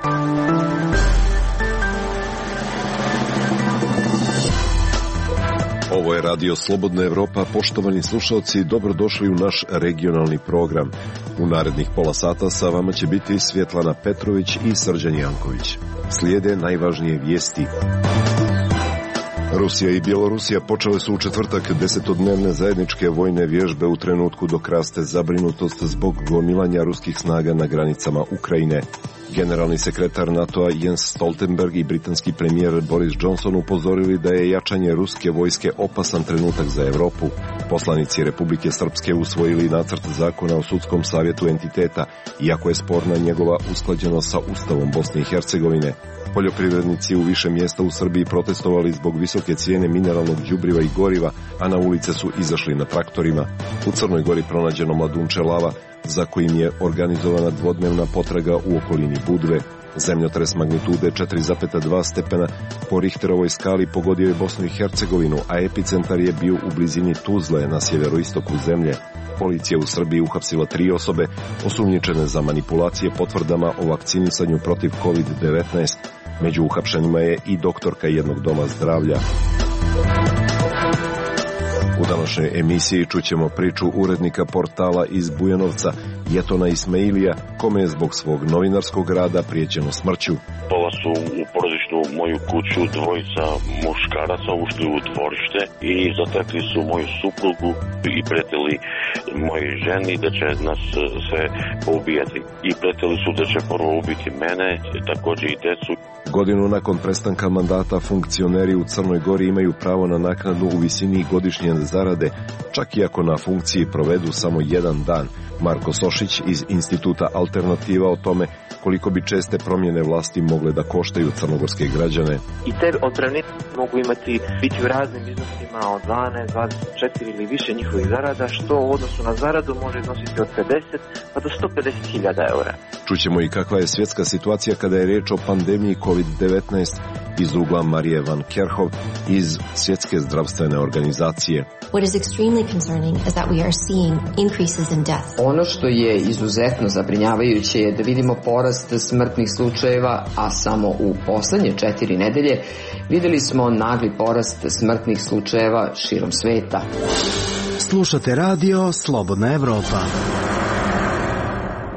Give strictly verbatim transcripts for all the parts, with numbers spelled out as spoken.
Ovo je Radio Slobodna Evropa. Poštovani slušalci, dobrodošli u naš regionalni program. U narednih pola sata sa vama će biti Svjetlana Petrović i Srđan Janković. Slijede najvažnije vijesti. Rusija i Bjelorusija počele su u četvrtak desetodnevne zajedničke vojne vježbe u trenutku dok raste zabrinutost zbog gomilanja ruskih snaga na granicama Ukrajine. Generalni sekretar NATO-a Jens Stoltenberg i britanski premijer Boris Johnson upozorili da je jačanje ruske vojske opasan trenutak za Europu. Poslanici Republike Srpske usvojili nacrt zakona o sudskom savjetu entiteta, iako je sporna njegova usklađenost sa Ustavom Bosne i Hercegovine. Poljoprivrednici u više mjesta u Srbiji protestovali zbog visoke cijene mineralnog đubriva i goriva, a na ulice su izašli na traktorima. U Crnoj Gori pronađeno mladunče lava, za kojim je organizovana dvodnevna potraga u okolini Budve. Zemljotres magnitude četiri zarez dva stepena po Richterovoj skali pogodio je Bosnu i Hercegovinu, a epicentar je bio u blizini Tuzle na sjeveroistoku zemlje. Policija u Srbiji uhapsila tri osobe osumnjičene za manipulacije potvrdama o vakcinisanju protiv kovid devetnaest. Među uhapšenima je i doktorka jednog doma zdravlja. U današnjoj emisiji čućemo priču urednika portala iz Bujanovca, Jetona Ismailija, kome je zbog svog novinarskog rada prijećeno smrću. Pola su u porodičnu moju kuću dvojica muškaraca ušli u dvorište i zatekli su moju suprugu i pretili moje ženi da će nas sve poubijati. I pretili su da će prvo ubiti mene, također i decu. Godinu nakon prestanka mandata funkcioneri u Crnoj Gori imaju pravo na naknadu u visini godišnje zarade, čak i ako na funkciji provedu samo jedan dan. Marko Sošić iz Instituta Alternativa o tome koliko bi česte promjene vlasti mogle da koštaju crnogorske građane. I te otpremnine mogu imati biti u raznim iznosima od dvanaest, dvadeset četiri ili više njihovih zarada, što u odnosu na zaradu može iznositi od pedeset pa do sto pedeset hiljada eura. Čućemo i kakva je svjetska situacija kada je riječ o pandemiji kovid devetnaest iz ugla Marije van Kerhov iz Svjetske zdravstvene organizacije. What is extremely concerning is that we are seeing increases in death. Ono što je izuzetno zabrinjavajuće je da vidimo porast smrtnih slučajeva, a samo u posljednje četiri nedelje vidjeli smo nagli porast smrtnih slučajeva širom sveta. Slušate radio Slobodna Evropa.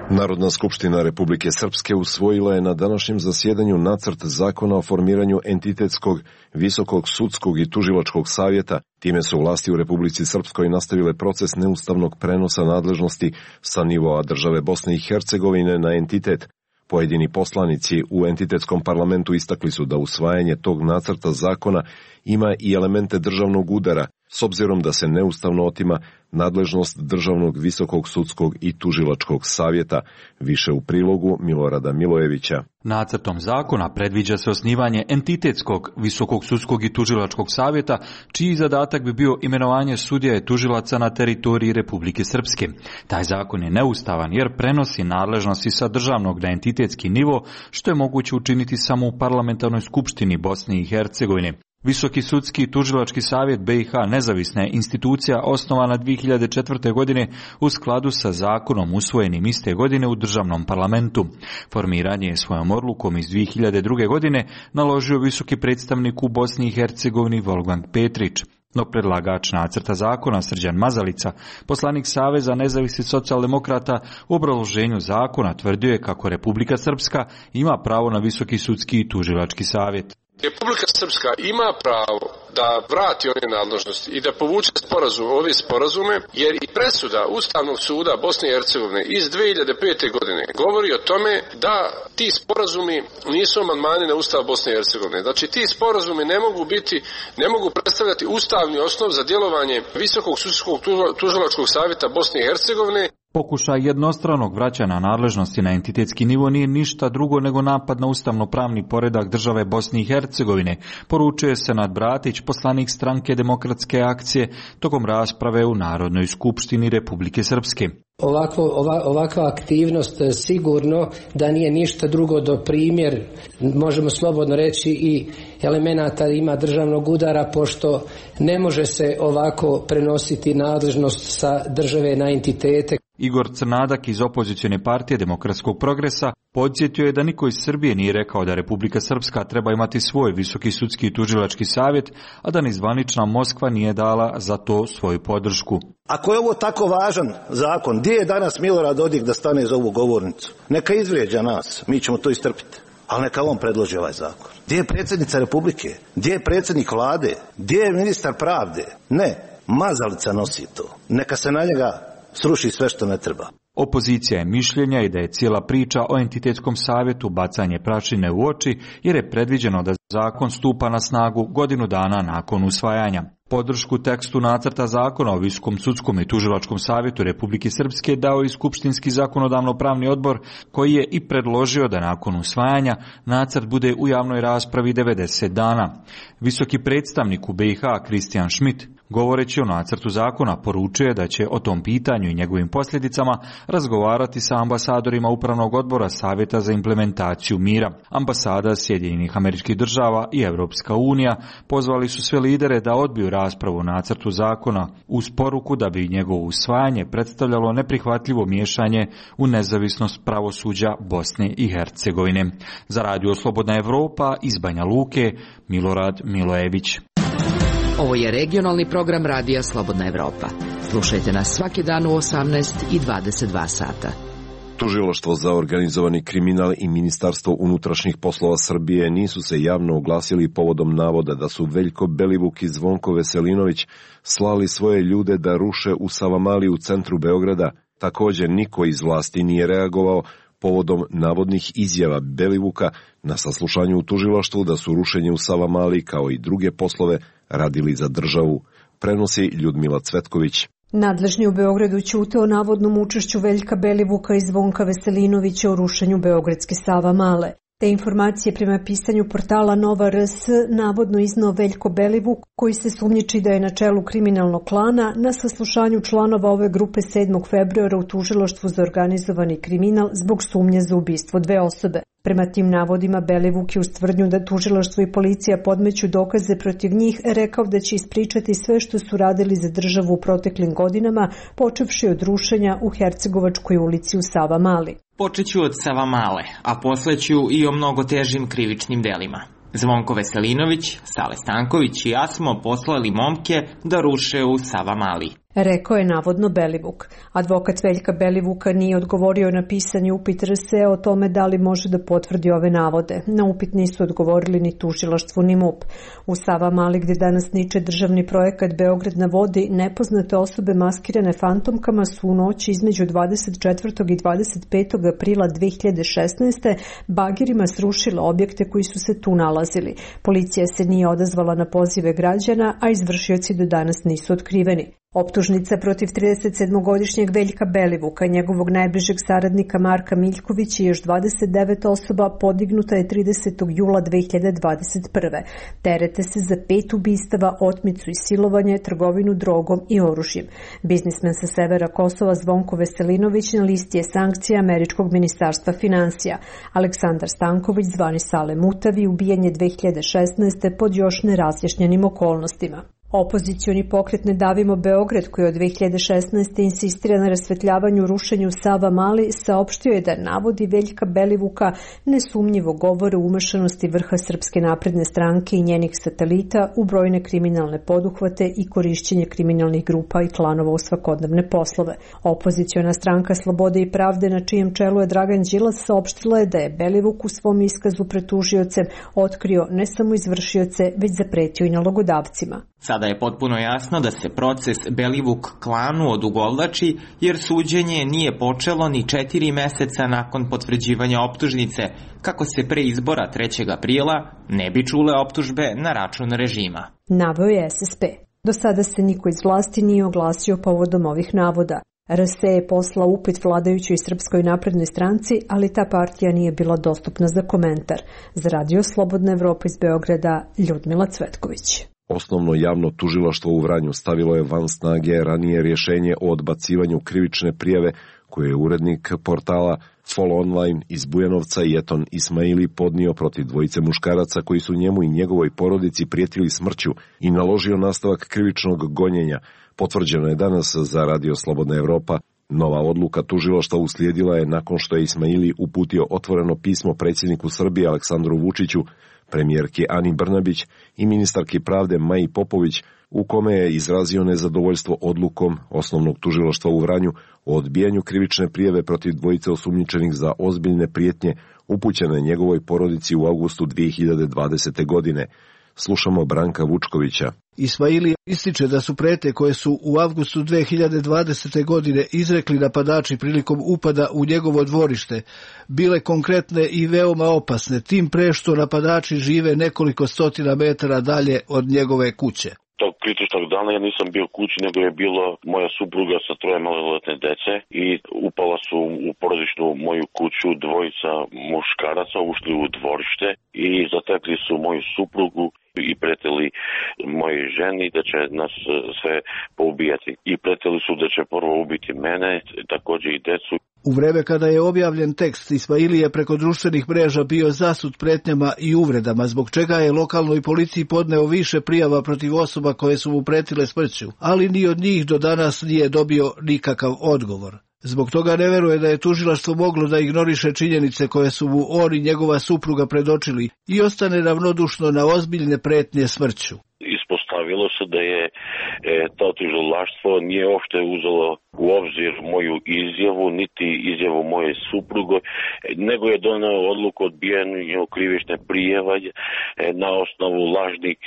Narodna skupština Republike Srpske usvojila je na današnjem zasjedanju nacrt zakona o formiranju entitetskog, visokog sudskog i tužilačkog savjeta. Time su vlasti u Republici Srpskoj nastavile proces neustavnog prenosa nadležnosti sa nivoa države Bosne i Hercegovine na entitet. Pojedini poslanici u entitetskom parlamentu istakli su da usvajanje tog nacrta zakona ima i elemente državnog udara, s obzirom da se neustavno otima nadležnost Državnog visokog sudskog i tužilačkog savjeta. Više u prilogu Milorada Milojevića. Nacrtom zakona predviđa se osnivanje entitetskog visokog sudskog i tužilačkog savjeta, čiji zadatak bi bio imenovanje sudija i tužilaca na teritoriji Republike Srpske. Taj zakon je neustavan jer prenosi nadležnosti sa državnog na entitetski nivo, što je moguće učiniti samo u parlamentarnoj skupštini Bosne i Hercegovine. Visoki sudski i tužilački savjet B i H nezavisna je institucija osnovana dvije hiljade četvrte. godine u skladu sa zakonom usvojenim iste godine u državnom parlamentu. Formiranje je svojom odlukom iz dvije hiljade druge. godine naložio visoki predstavnik u Bosni i Hercegovini Wolfgang Petrić. No predlagač nacrta zakona Srđan Mazalica, poslanik Saveza nezavisnih socijaldemokrata, u obrazloženju zakona tvrdio je kako Republika Srpska ima pravo na visoki sudski i tužilački savjet. Republika Srpska ima pravo da vrati one nadležnosti i da povuče sporazum, ove sporazume, jer i presuda Ustavnog suda Bosne i Hercegovine iz dvije hiljade pete. godine govori o tome da ti sporazumi nisu amandmani na Ustav Bosne i Hercegovine. Znači ti sporazumi ne mogu biti, ne mogu predstavljati ustavni osnov za djelovanje Visokog sudskog tužilačkog savjeta Bosne i Hercegovine. Pokušaj jednostranog vraćanja nadležnosti na entitetski nivo nije ništa drugo nego napad na ustavno-pravni poredak države Bosne i Hercegovine, poručuje Senad Bratić, poslanik stranke Demokratske akcije, tokom rasprave u Narodnoj skupštini Republike Srpske. Ovako, ova, ovakva aktivnost sigurno da nije ništa drugo do primjer, možemo slobodno reći, i elemenata ima državnog udara, pošto ne može se ovako prenositi nadležnost sa države na entitete. Igor Crnadak iz opozicione partije Demokratskog progresa Podsjetio je da niko iz Srbije nije rekao da Republika Srpska treba imati svoj visoki sudski i tužilački savjet, a da ni zvanična Moskva nije dala za to svoju podršku. Ako je ovo tako važan zakon, gdje je danas Milorad Dodik da stane za ovu govornicu? Neka izvrijeđa nas, mi ćemo to istrpiti. Ali neka on predloži ovaj zakon. Gdje je predsjednica Republike? Gdje je predsjednik vlade? Gdje je ministar pravde? Ne, mazalica nosi to. Neka se na njega sruši sve što ne treba. Opozicija je mišljenja i da je cijela priča o entitetskom savjetu bacanje prašine u oči, jer je predviđeno da zakon stupa na snagu godinu dana nakon usvajanja. Podršku tekstu nacrta zakona o Visokom sudskom i tužilačkom savjetu Republike Srpske dao i Skupštinski zakonodavno-pravni odbor, koji je i predložio da nakon usvajanja nacrt bude u javnoj raspravi devedeset dana. Visoki predstavnik u B i H Kristijan Schmidt, govoreći o nacrtu zakona, poručuje da će o tom pitanju i njegovim posljedicama razgovarati sa ambasadorima Upravnog odbora Savjeta za implementaciju mira. Ambasada Sjedinjenih Američkih Država i Europska unija pozvali su sve lidere da odbiju raspravu o nacrtu zakona uz poruku da bi njegovo usvajanje predstavljalo neprihvatljivo miješanje u nezavisnost pravosuđa Bosne i Hercegovine. Za Radio Slobodna Evropa iz Banja Luke, Milorad Milojević. Ovo je regionalni program Radija Slobodna Evropa. Slušajte nas svaki dan u osamnaest i dvadeset dva sata. Tužilaštvo za organizovani kriminal i Ministarstvo unutrašnjih poslova Srbije nisu se javno oglasili povodom navoda da su Veljko Belivuk i Zvonko Veselinović slali svoje ljude da ruše u Savamali u centru Beograda. Također niko iz vlasti nije reagovao povodom navodnih izjava Belivuka na saslušanju u tužilaštvu da su rušenje u Savamali kao i druge poslove radili za državu, prenosi Ljudmila Cvetković. Nadležni u Beogradu ćute o navodnom učešću Veljka Belivuka i Zvonka Veselinovića u rušenju beogradske Savamale. Te informacije prema pisanju portala Nova R S navodno iznao Veljko Belivuk, koji se sumnjiči da je na čelu kriminalnog klana na saslušanju članova ove grupe sedmog februara u tužilaštvu za organizovani kriminal zbog sumnje za ubistvo dve osobe. Prema tim navodima Belivuk je uz tvrdnju da tužilaštvo i policija podmeću dokaze protiv njih rekao da će ispričati sve što su radili za državu u proteklim godinama, počevši od rušenja u Hercegovačkoj ulici u Savamali. Počeću od Savamale, a posle ću i o mnogo težim krivičnim delima. Zvonko Veselinović, Sale Stanković i ja smo poslali momke da ruše u Savamali. Rekao je navodno Belivuk. Advokat Veljka Belivuka nije odgovorio na pisani upit R S E o tome da li može da potvrdi ove navode. Na upit nisu odgovorili ni tužilaštvo ni M U P. U Savamali, gdje danas niče državni projekat Beograd na vodi, nepoznate osobe maskirane fantomkama su u noći između dvadeset četvrtog i dvadeset petog aprila dve hiljade šesnaeste. bagirima srušile objekte koji su se tu nalazili. Policija se nije odazvala na pozive građana, a izvršioci do danas nisu otkriveni. Optužnica protiv tridesetsedmogodišnjeg Veljka Belivuka i njegovog najbližeg saradnika Marka Miljkovića i još dvadeset devet osoba podignuta je tridesetog jula dve hiljade dvadeset prve. Terete se za pet ubistava, otmicu i silovanje, trgovinu drogom i oružjem. Biznismen sa severa Kosova Zvonko Veselinović na listi je sankcija Američkog ministarstva finansija. Aleksandar Stanković, zvani Sale Mutavi, ubijen je dve hiljade šesnaeste. pod još nerazjašnjenim okolnostima. Opozicioni pokret Ne davimo Beograd, koji od dve hiljade šesnaeste. insistira na rasvetljavanju rušenju Savamali, saopštio je da navodi Veljka Belivuka nesumnjivo govore o umešanosti vrha Srpske napredne stranke i njenih satelita u brojne kriminalne poduhvate i korišćenje kriminalnih grupa i klanova u svakodnevne poslove. Opoziciona stranka Slobode i pravde, na čijem čelu je Dragan Đilas, saopštila je da je Belivuk u svom iskazu pred tužiocem otkrio ne samo izvršioce, već zapretio i nalogodavcima. Sada je potpuno jasno da se proces Belivuk klanu odugovlači, jer suđenje nije počelo ni četiri meseca nakon potvrđivanja optužnice, kako se pre izbora trećeg aprila ne bi čule optužbe na račun režima. Naveo je S S P. Do sada se niko iz vlasti nije oglasio povodom ovih navoda. R S E je poslao upit vladajućoj Srpskoj naprednoj stranci, ali ta partija nije bila dostupna za komentar. Za Radio Slobodna Evropa iz Beograda, Ljudmila Cvetković. Osnovno javno tužilaštvo u Vranju stavilo je van snage ranije rješenje o odbacivanju krivične prijave koje je urednik portala Fol Online iz Bujanovca Jeton Ismaili podnio protiv dvojice muškaraca koji su njemu i njegovoj porodici prijetili smrću i naložio nastavak krivičnog gonjenja. Potvrđeno je danas za Radio Slobodna Evropa Nova odluka tužilaštva uslijedila je nakon što je Ismaili uputio otvoreno pismo predsjedniku Srbije Aleksandru Vučiću, premijerki Ani Brnabić i ministarki pravde Maji Popović, u kome je izrazio nezadovoljstvo odlukom Osnovnog tužilaštva u Vranju o odbijanju krivične prijave protiv dvojice osumnjičenih za ozbiljne prijetnje upućene njegovoj porodici u avgustu dvije hiljade dvadesete. godine. Slušamo Branka Vučkovića. Ismaili ističe da su pretnje koje su u avgustu dvije hiljade dvadesete. godine izrekli napadači prilikom upada u njegovo dvorište bile konkretne i veoma opasne, tim pre što napadači žive nekoliko stotina metara dalje od njegove kuće. Tog kritičnog dana ja nisam bio kući, nego je bilo moja supruga sa troje maloletne dece i upala su u porodičnu moju kuću dvojica muškaraca, ušli u dvorište i zatekli su moju suprugu i pretili moje ženi da će nas sve poubijati. I pretili su da će prvo ubiti mene, također i decu. U vreme kada je objavljen tekst, Ismaili je preko društvenih mreža bio zasut pretnjama i uvredama, zbog čega je lokalnoj policiji podneo više prijava protiv osoba koje su mu pretile smrću, ali ni od njih do danas nije dobio nikakav odgovor. Zbog toga ne veruje da je tužilaštvo moglo da ignoriše činjenice koje su mu on i njegova supruga predočili i ostane ravnodušno na ozbiljne pretnje smrću. Ispostavilo se da je e, to tužilaštvo nije uopšte uzelo u obzir moju izjavu, niti izjavu moje supruge, nego je doneo odluku o odbijanju krivične prijave e, na osnovu lažnih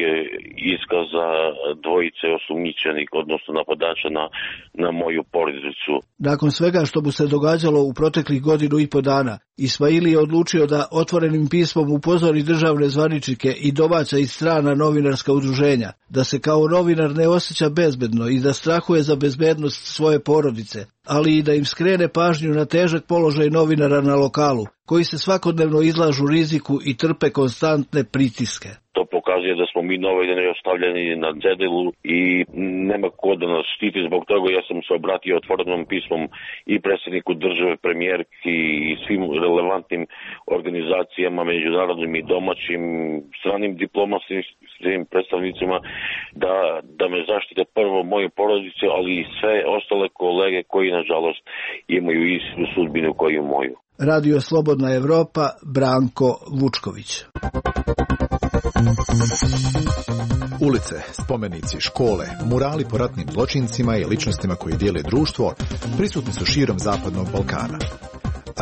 iskaza dvojice osumnjičenih, odnosno napadača na, na moju porodicu. Nakon svega što mu se događalo u proteklih godinu i po dana, Ismaili je odlučio da otvorenim pismom upozori državne zvaničnike i domaća i strana novinarska udruženja, da se kao novinar ne osjeća bezbedno i da strahuje za bezbednost svoje porodice, ali i da im skrene pažnju na težak položaj novinara na lokalu, koji se svakodnevno izlažu riziku i trpe konstantne pritiske. To pokazuje da smo mi novinari ostavljeni na cedilu i nema ko da nas štiti. Zbog toga ja sam se obratio otvorenom pismom i predsjedniku države, premijerki i svim relevantnim organizacijama, međunarodnim i domaćim, stranim diplomatskim predstavnicima da, da me zaštite prvo moje porodice, ali i sve ostale kolege koji nažalost imaju istu sudbinu koju moju. Radio Slobodna Evropa, Branko Vučković. Ulice, spomenici, škole, murali po ratnim zločincima i ličnostima koji dijele društvo prisutni su širom Zapadnog Balkana.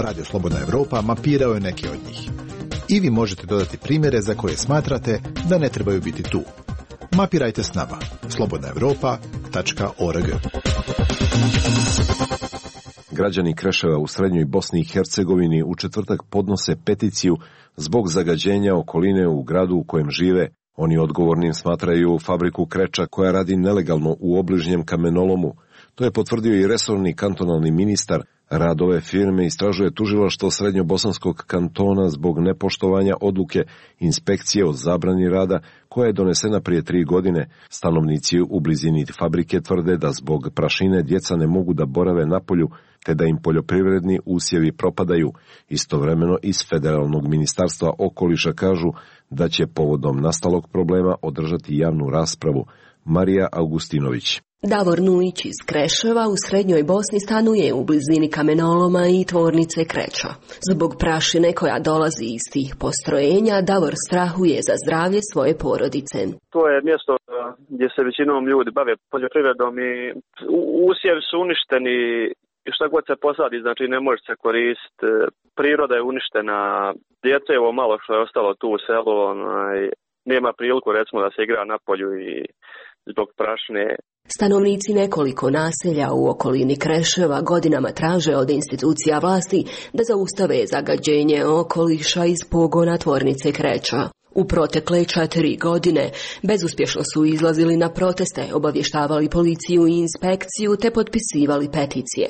Radio Slobodna Evropa mapirao je neke od njih. I vi možete dodati primjere za koje smatrate da ne trebaju biti tu. Mapirajte s nama. slobodna evropa tačka org. Građani Kreševa u srednjoj Bosni i Hercegovini u četvrtak podnose peticiju zbog zagađenja okoline u gradu u kojem žive. Oni odgovornim smatraju fabriku kreča koja radi nelegalno u obližnjem kamenolomu. To je potvrdio i resorni kantonalni ministar. Rad ove firme istražuje tužilaštvo Srednjobosanskog kantona zbog nepoštovanja odluke inspekcije o zabrani rada koja je donesena prije tri godine. Stanovnici u blizini fabrike tvrde da zbog prašine djeca ne mogu da borave napolju, te da im poljoprivredni usjevi propadaju. Istovremeno iz Federalnog ministarstva okoliša kažu da će povodom nastalog problema održati javnu raspravu. Marija Augustinović. Davor Nujić iz Kreševa u srednjoj Bosni stanuje u blizini kamenoloma i tvornice Kreča. Zbog prašine koja dolazi iz tih postrojenja, Davor strahuje za zdravlje svoje porodice. To je mjesto gdje se većinom ljudi bave poljoprivredom i usjevi su uništeni i šta god se posadi, znači ne može se koristiti. Priroda je uništena, djeca je ovo malo što je ostalo tu u selu, onaj, nema priliku recimo da se igra na polju i zbog prašine. Stanovnici nekoliko naselja u okolini Kreševa godinama traže od institucija vlasti da zaustave zagađenje okoliša iz pogona tvornice Kreča. U protekle četiri godine bezuspješno su izlazili na proteste, obavještavali policiju i inspekciju te potpisivali peticije.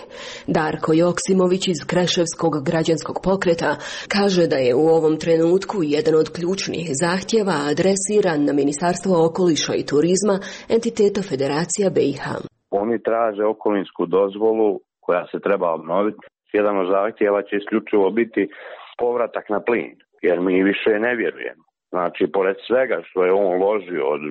Darko Joksimović iz Kreševskog građanskog pokreta kaže da je u ovom trenutku jedan od ključnih zahtjeva adresiran na Ministarstvo okoliša i turizma, entiteta Federacija B i H. Oni traže okolinsku dozvolu koja se treba obnoviti. Jedan od zahtjeva će isključivo biti povratak na plin, jer mi više ne vjerujemo. Znači, pored svega što je on ložio od,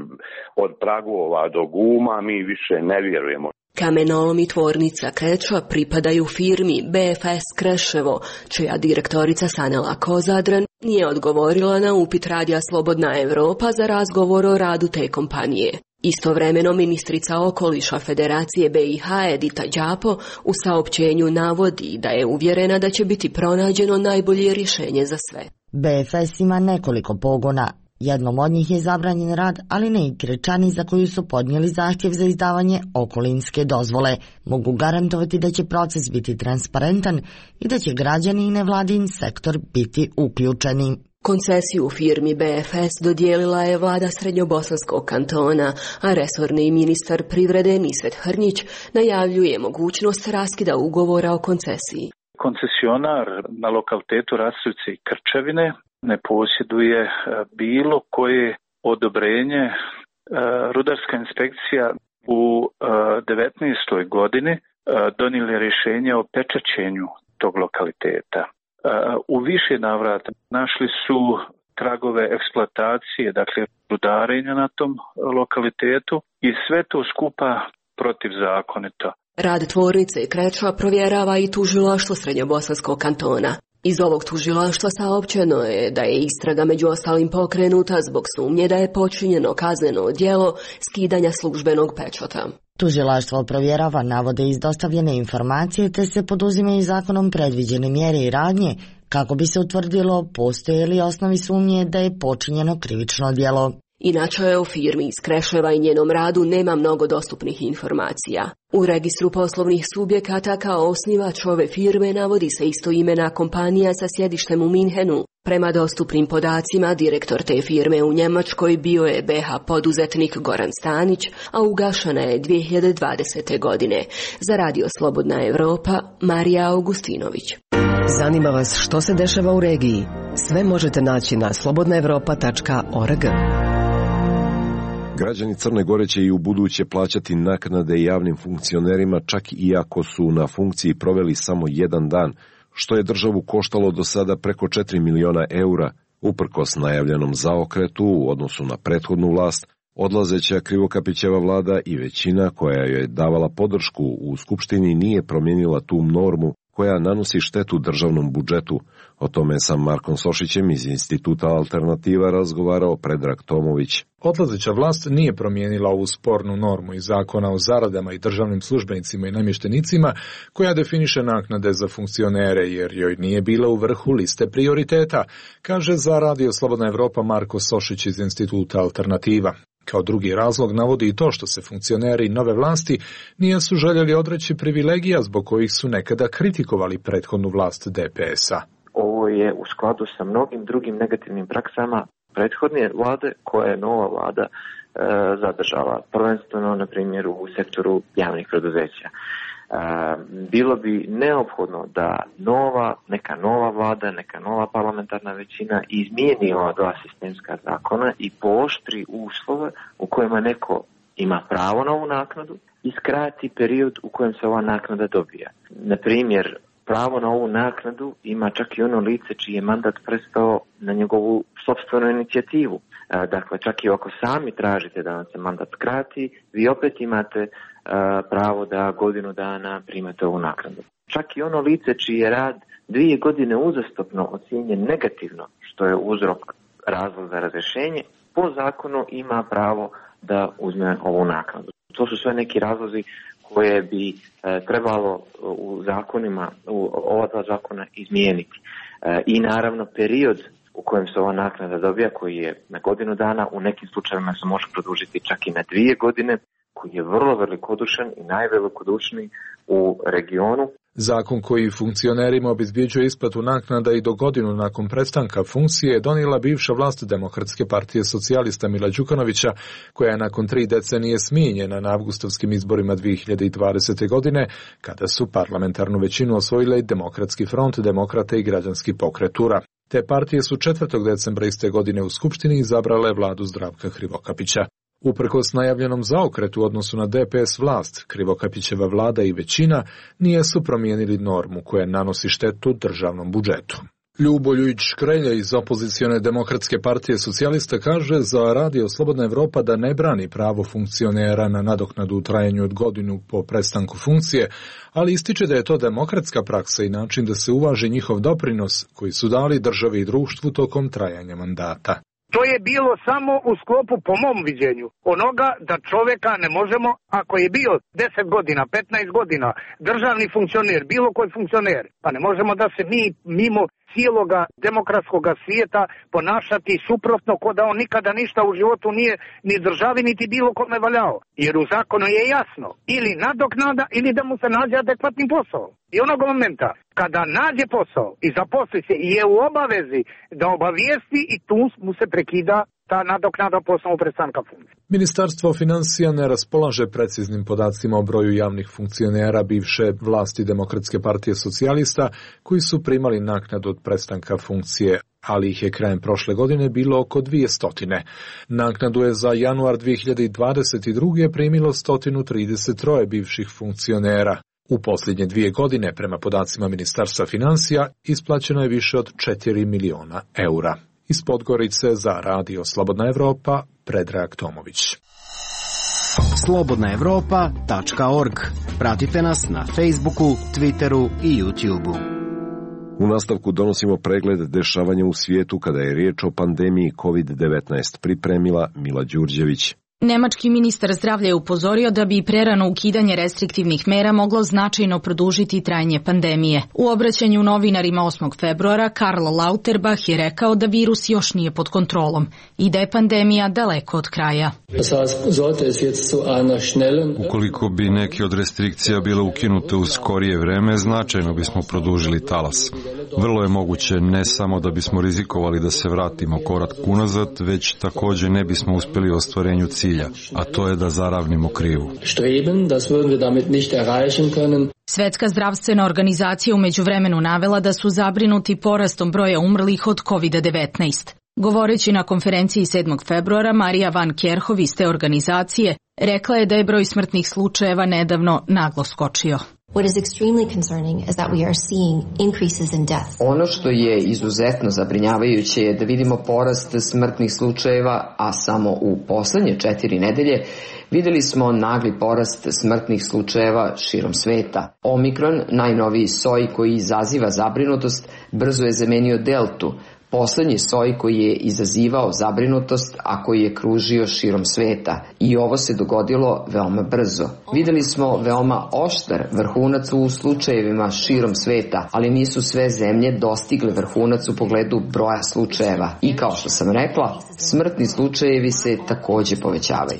od pragova do guma, mi više ne vjerujemo. Kamenolom i tvornica Kreča pripadaju firmi B F S Kreševo, čija direktorica Sanela Kozadran nije odgovorila na upit Radija Slobodna Evropa za razgovor o radu te kompanije. Istovremeno ministrica okoliša Federacije B i H Edita Đapo u saopćenju navodi da je uvjerena da će biti pronađeno najbolje rješenje za sve. B F S ima nekoliko pogona. Jednom od njih je zabranjen rad, ali ne i Krečani za koju su podnijeli zahtjev za izdavanje okolinske dozvole. Mogu garantovati da će proces biti transparentan i da će građani i nevladin sektor biti uključeni. Koncesiju firmi B F S dodijelila je vlada Srednjobosanskog kantona, a resorni ministar privrede Nisvet Hrnjić najavljuje mogućnost raskida ugovora o koncesiji. Koncesionar na lokalitetu Rastovci i Krčevine ne posjeduje bilo koje odobrenje. Rudarska inspekcija u devetnaestoj godini donijela rješenje o pečaćenju tog lokaliteta. U više navrata našli su tragove eksploatacije, dakle rudarenja na tom lokalitetu i sve to skupa protivzakonito. Rad tvornice Kreča provjerava i tužilaštvo Srednjobosanskog kantona. Iz ovog tužilaštva saopćeno je da je istraga među ostalim pokrenuta zbog sumnje da je počinjeno kazneno djelo skidanja službenog pečata. Tužilaštvo provjerava navode iz dostavljene informacije te se poduzimaju zakonom predviđene mjere i radnje kako bi se utvrdilo postoje li osnovi sumnje da je počinjeno krivično djelo. Inače, o firmi iz Kreševa i njenom radu nema mnogo dostupnih informacija. U registru poslovnih subjekata kao osnivač ove firme navodi se istoimena kompanija sa sjedištem u Minhenu. Prema dostupnim podacima, direktor te firme u Njemačkoj bio je B H poduzetnik Goran Stanić, a ugašena je dvije hiljade dvadesete. godine. Za Radio Slobodna Evropa, Marija Augustinović. Zanima vas što se dešava u regiji? Sve možete naći na slobodna evropa tačka org. Građani Crne Gore će i u buduće plaćati naknade javnim funkcionerima čak i ako su na funkciji proveli samo jedan dan, što je državu koštalo do sada preko četiri miliona eura. Uprkos najavljenom zaokretu u odnosu na prethodnu vlast, odlazeća Krivokapićeva vlada i većina koja joj je davala podršku u Skupštini nije promijenila tu normu koja nanosi štetu državnom budžetu. O tome sam Markom Sošićem iz Instituta Alternativa razgovarao Predrag Tomović. Odlazeća vlast nije promijenila ovu spornu normu iz zakona o zaradama i državnim službenicima i namještenicima koja definiše naknade za funkcionere jer joj nije bila u vrhu liste prioriteta, kaže za Radio Slobodna Evropa Marko Sošić iz Instituta Alternativa. Kao drugi razlog navodi i to što se funkcioneri nove vlasti nisu željeli odreći privilegija zbog kojih su nekada kritikovali prethodnu vlast D P S-a. Ovo je u skladu sa mnogim drugim negativnim praksama prethodne vlade koje je nova vlada e, zadržala. Prvenstveno, na primjer, u sektoru javnih preduzeća. E, bilo bi neophodno da nova, neka nova vlada, neka nova parlamentarna većina izmijeni ova dva sistemska zakona i pooštri uslove u kojima neko ima pravo na ovu naknadu i skrati period u kojem se ova naknada dobija. Na primjer, pravo na ovu naknadu ima čak i ono lice čiji je mandat prestao na njegovu sopstvenu inicijativu. Dakle, čak i ako sami tražite da vam se mandat skrati, vi opet imate pravo da godinu dana primate ovu naknadu. Čak i ono lice čiji je rad dvije godine uzastopno ocijenjen negativno, što je uzrok razlog za razrješenje, po zakonu ima pravo da uzme ovu naknadu. To su sve neki razlozi koje bi e, trebalo u zakonima, u ova dva zakona izmijeniti. E, I naravno period u kojem se ova naknada dobija, koji je na godinu dana, u nekim slučajevima se može produžiti čak i na dvije godine, koji je vrlo velikodušan i najvelikodušniji u regionu. Zakon koji funkcionerima obezbjeđuje isplatu naknada i do godinu nakon prestanka funkcije je donijela bivša vlast Demokratske partije socijalista Mila Đukanovića, koja je nakon tri decenije smijenjena na avgustovskim izborima dvije hiljade dvadesete. godine, kada su parlamentarnu većinu osvojile Demokratski front, Demokrate i Građanski pokret U R A. Te partije su četvrtog decembra iste godine u Skupštini izabrale vladu Zdravka Krivokapića. Uprkos najavljenom zaokretu u odnosu na D P S vlast, Krivokapićeva vlada i većina nisu promijenili normu koja nanosi štetu državnom budžetu. Ljuboljujić Škrelja iz opozicione Demokratske partije socijalista kaže za Radio Slobodna Evropa da ne brani pravo funkcionera na nadoknadu u trajanju od godinu po prestanku funkcije, ali ističe da je to demokratska praksa i način da se uvaži njihov doprinos koji su dali državi i društvu tokom trajanja mandata. To je bilo samo u sklopu, po mom viđenju, onoga da čoveka ne možemo, ako je bio deset godina, petnaest godina, državni funkcioner, bilo koji funkcioner, pa ne možemo da se mi mimo cijeloga demokratskog svijeta ponašati suprotno ko da on nikada ništa u životu nije ni državi niti bilo kome valjao. Jer u zakonu je jasno, ili nadoknada ili da mu se nađe adekvatni posao. I onog momenta kada nađe posao i zaposli se i je u obavezi da obavijesti i tu mu se prekida ta nadoknada po osnovu prestanka funkcije. Ministarstvo financija ne raspolaže preciznim podacima o broju javnih funkcionera bivše vlasti Demokratske partije socijalista koji su primali naknadu od prestanka funkcije, ali ih je krajem prošle godine bilo oko dvjesto. Naknadu je za januar dvije hiljade dvadeset druge primilo sto trideset tri bivših funkcionera. U posljednje dvije godine, prema podacima Ministarstva financija, isplaćeno je više od četiri miliona eura. Iz Podgorice za Radio Slobodna Evropa, Predrag Tomović. slobodna evropa tačka org. Pratite nas na Facebooku, Twitteru i YouTubeu. U nastavku donosimo pregled dešavanja u svijetu kada je riječ o pandemiji kovid devetnaest, pripremila Mila Đurđević. Nemački ministar zdravlja je upozorio da bi prerano ukidanje restriktivnih mera moglo značajno produžiti trajanje pandemije. U obraćanju novinarima osmog februara Karl Lauterbach je rekao da virus još nije pod kontrolom i da je pandemija daleko od kraja. Ukoliko bi neke od restrikcija bile ukinute u skorije vreme, značajno bismo produžili talas. Vrlo je moguće ne samo da bismo rizikovali da se vratimo korak unazad, već također ne bismo uspjeli u ostvarenju cilja, a to je da zaravnimo krivu. Svetska zdravstvena organizacija u međuvremenu navela da su zabrinuti porastom broja umrlih od kovid devetnaest. Govoreći na konferenciji sedmog februara, Marija van Kerhov iz te organizacije rekla je da je broj smrtnih slučajeva nedavno naglo skočio. What is extremely concerning is that we are seeing increases in death. Ono što je izuzetno zabrinjavajuće je da vidimo porast smrtnih slučajeva, a samo u poslednje četiri nedelje videli smo nagli porast smrtnih slučajeva širom sveta. Omikron, najnoviji soj koji izaziva zabrinutost, brzo je zamenio deltu, poslednji soj koji je izazivao zabrinutost, a koji je kružio širom sveta. I ovo se dogodilo veoma brzo. Videli smo veoma oštar vrhunac u slučajevima širom sveta, ali nisu sve zemlje dostigle vrhunac u pogledu broja slučajeva. I kao što sam rekla, smrtni slučajevi se takođe povećavaju.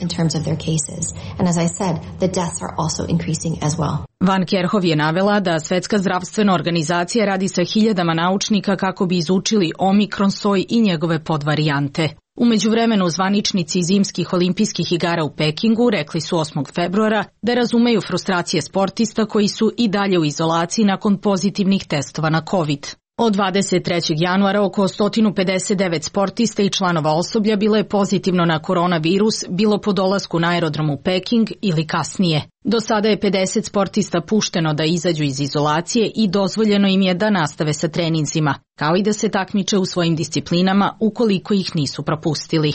Van Kerhov je navela da Svetska zdravstvena organizacija radi sa hiljadama naučnika kako bi izučili omikron soj i njegove podvarijante. U međuvremenu zvaničnici zimskih olimpijskih igara u Pekingu rekli su osmog februara da razumeju frustracije sportista koji su i dalje u izolaciji nakon pozitivnih testova na COVID. Od dvadeset trećeg januara oko sto pedeset devet sportista i članova osoblja bilo je pozitivno na koronavirus, bilo po dolasku na aerodrom u Peking ili kasnije. Do sada je pedeset sportista pušteno da izađu iz izolacije i dozvoljeno im je da nastave sa treninzima, kao i da se takmiče u svojim disciplinama ukoliko ih nisu propustili.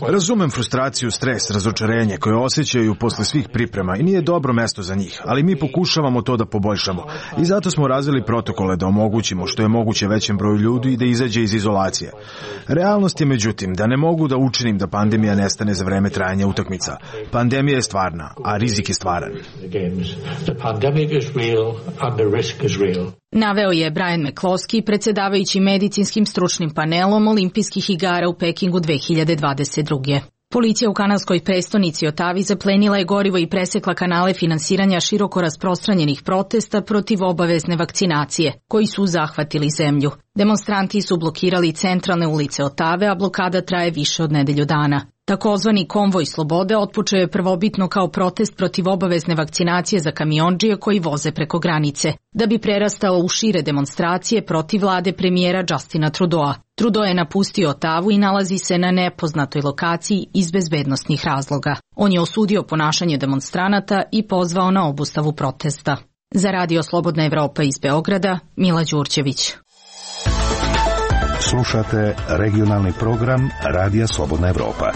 Razumem frustraciju, stres, razočarenje koje osjećaju posle svih priprema i nije dobro mesto za njih, ali mi pokušavamo to da poboljšamo i zato smo razvili protokole da omogućimo što je moguće većem broju ljudi da izađe iz izolacije. Realnost je međutim da ne mogu da učinim da pandemija nestane za vreme trajanja utakmica. Pandemija je stvarna, a rizik je stvaran. Naveo je Brian McCloskey, predsjedavajući medicinskim stručnim panelom Olimpijskih igara u Pekingu dve hiljade dvadeset druge. Policija u kanadskoj prestonici Otavi zaplenila je gorivo i presekla kanale finansiranja široko rasprostranjenih protesta protiv obavezne vakcinacije, koji su zahvatili zemlju. Demonstranti su blokirali centralne ulice Otave, a blokada traje više od nedelju dana. Takozvani konvoj slobode otpočeo je prvobitno kao protest protiv obavezne vakcinacije za kamiondžije koji voze preko granice, da bi prerastao u šire demonstracije protiv vlade premijera Justina Trudeau. Trudeau je napustio Otavu i nalazi se na nepoznatoj lokaciji iz bezbednosnih razloga. On je osudio ponašanje demonstranata i pozvao na obustavu protesta. Za Radio Slobodna Evropa iz Beograda, Mila Đurđević. Slušate regionalni program Radija Slobodna Evropa.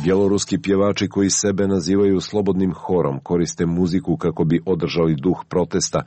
Bjeloruski pjevači koji sebe nazivaju slobodnim horom koriste muziku kako bi održali duh protesta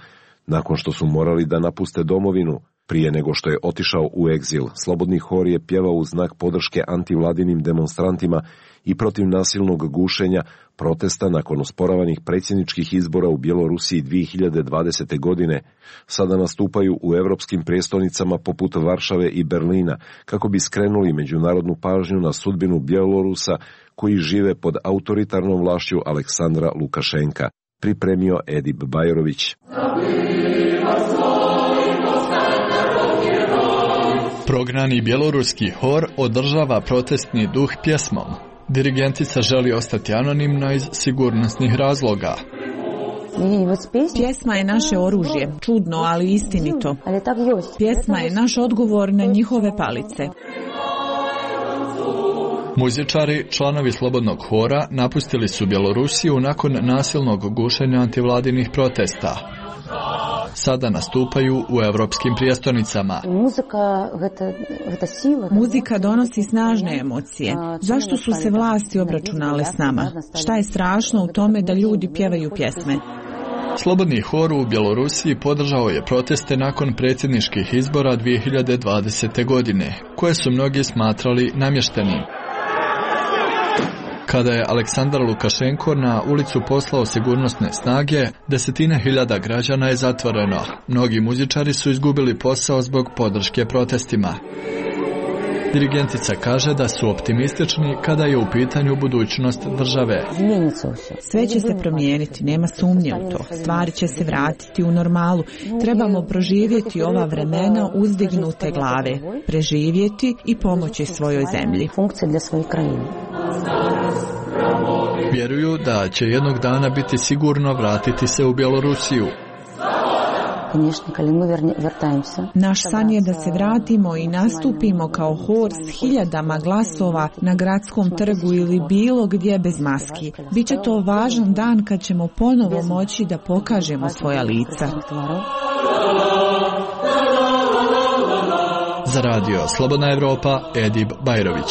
nakon što su morali da napuste domovinu. Prije nego što je otišao u egzil, Slobodni hor je pjevao u znak podrške antivladinim demonstrantima i protiv nasilnog gušenja protesta nakon osporavanih predsjedničkih izbora u Bjelorusiji dvije hiljade dvadesete. godine. Sada nastupaju u evropskim prijestolnicama poput Varšave i Berlina kako bi skrenuli međunarodnu pažnju na sudbinu Bjelorusa koji žive pod autoritarnom vlašću Aleksandra Lukašenka. Pripremio Edip Bajrović. Prognani bjeloruski hor održava protestni duh pjesmom. Dirigentica želi ostati anonimna iz sigurnosnih razloga. Pjesma je naše oružje, čudno, ali istinito. Pjesma je naš odgovor na njihove palice. Muzičari, članovi Slobodnog hora, napustili su Bjelorusiju nakon nasilnog gušenja antivladinih protesta. Sada nastupaju u evropskim prijestolnicama. Muzika donosi snažne emocije. Zašto su se vlasti obračunale s nama? Šta je strašno u tome da ljudi pjevaju pjesme? Slobodni hor u Bjelorusiji podržao je proteste nakon predsjedničkih izbora dvije hiljade dvadesete. godine, koje su mnogi smatrali namještenim. Kada je Aleksandar Lukašenko na ulicu poslao sigurnosne snage, desetine hiljada građana je zatvoreno. Mnogi muzičari su izgubili posao zbog podrške protestima. Dirigentica kaže da su optimistični kada je u pitanju budućnost države. Sve će se promijeniti, nema sumnje u to. Stvari će se vratiti u normalu. Trebamo proživjeti ova vremena uzdignute glave, preživjeti i pomoći svojoj zemlji. Vjeruju da će jednog dana biti sigurno vratiti se u Bjelorusiju. Naš san je da se vratimo i nastupimo kao hor s hiljadama glasova na gradskom trgu ili bilo gdje bez maski. Biće to važan dan kad ćemo ponovo moći da pokažemo svoja lica. Za Radio Slobodna Evropa, Edip Bajrović.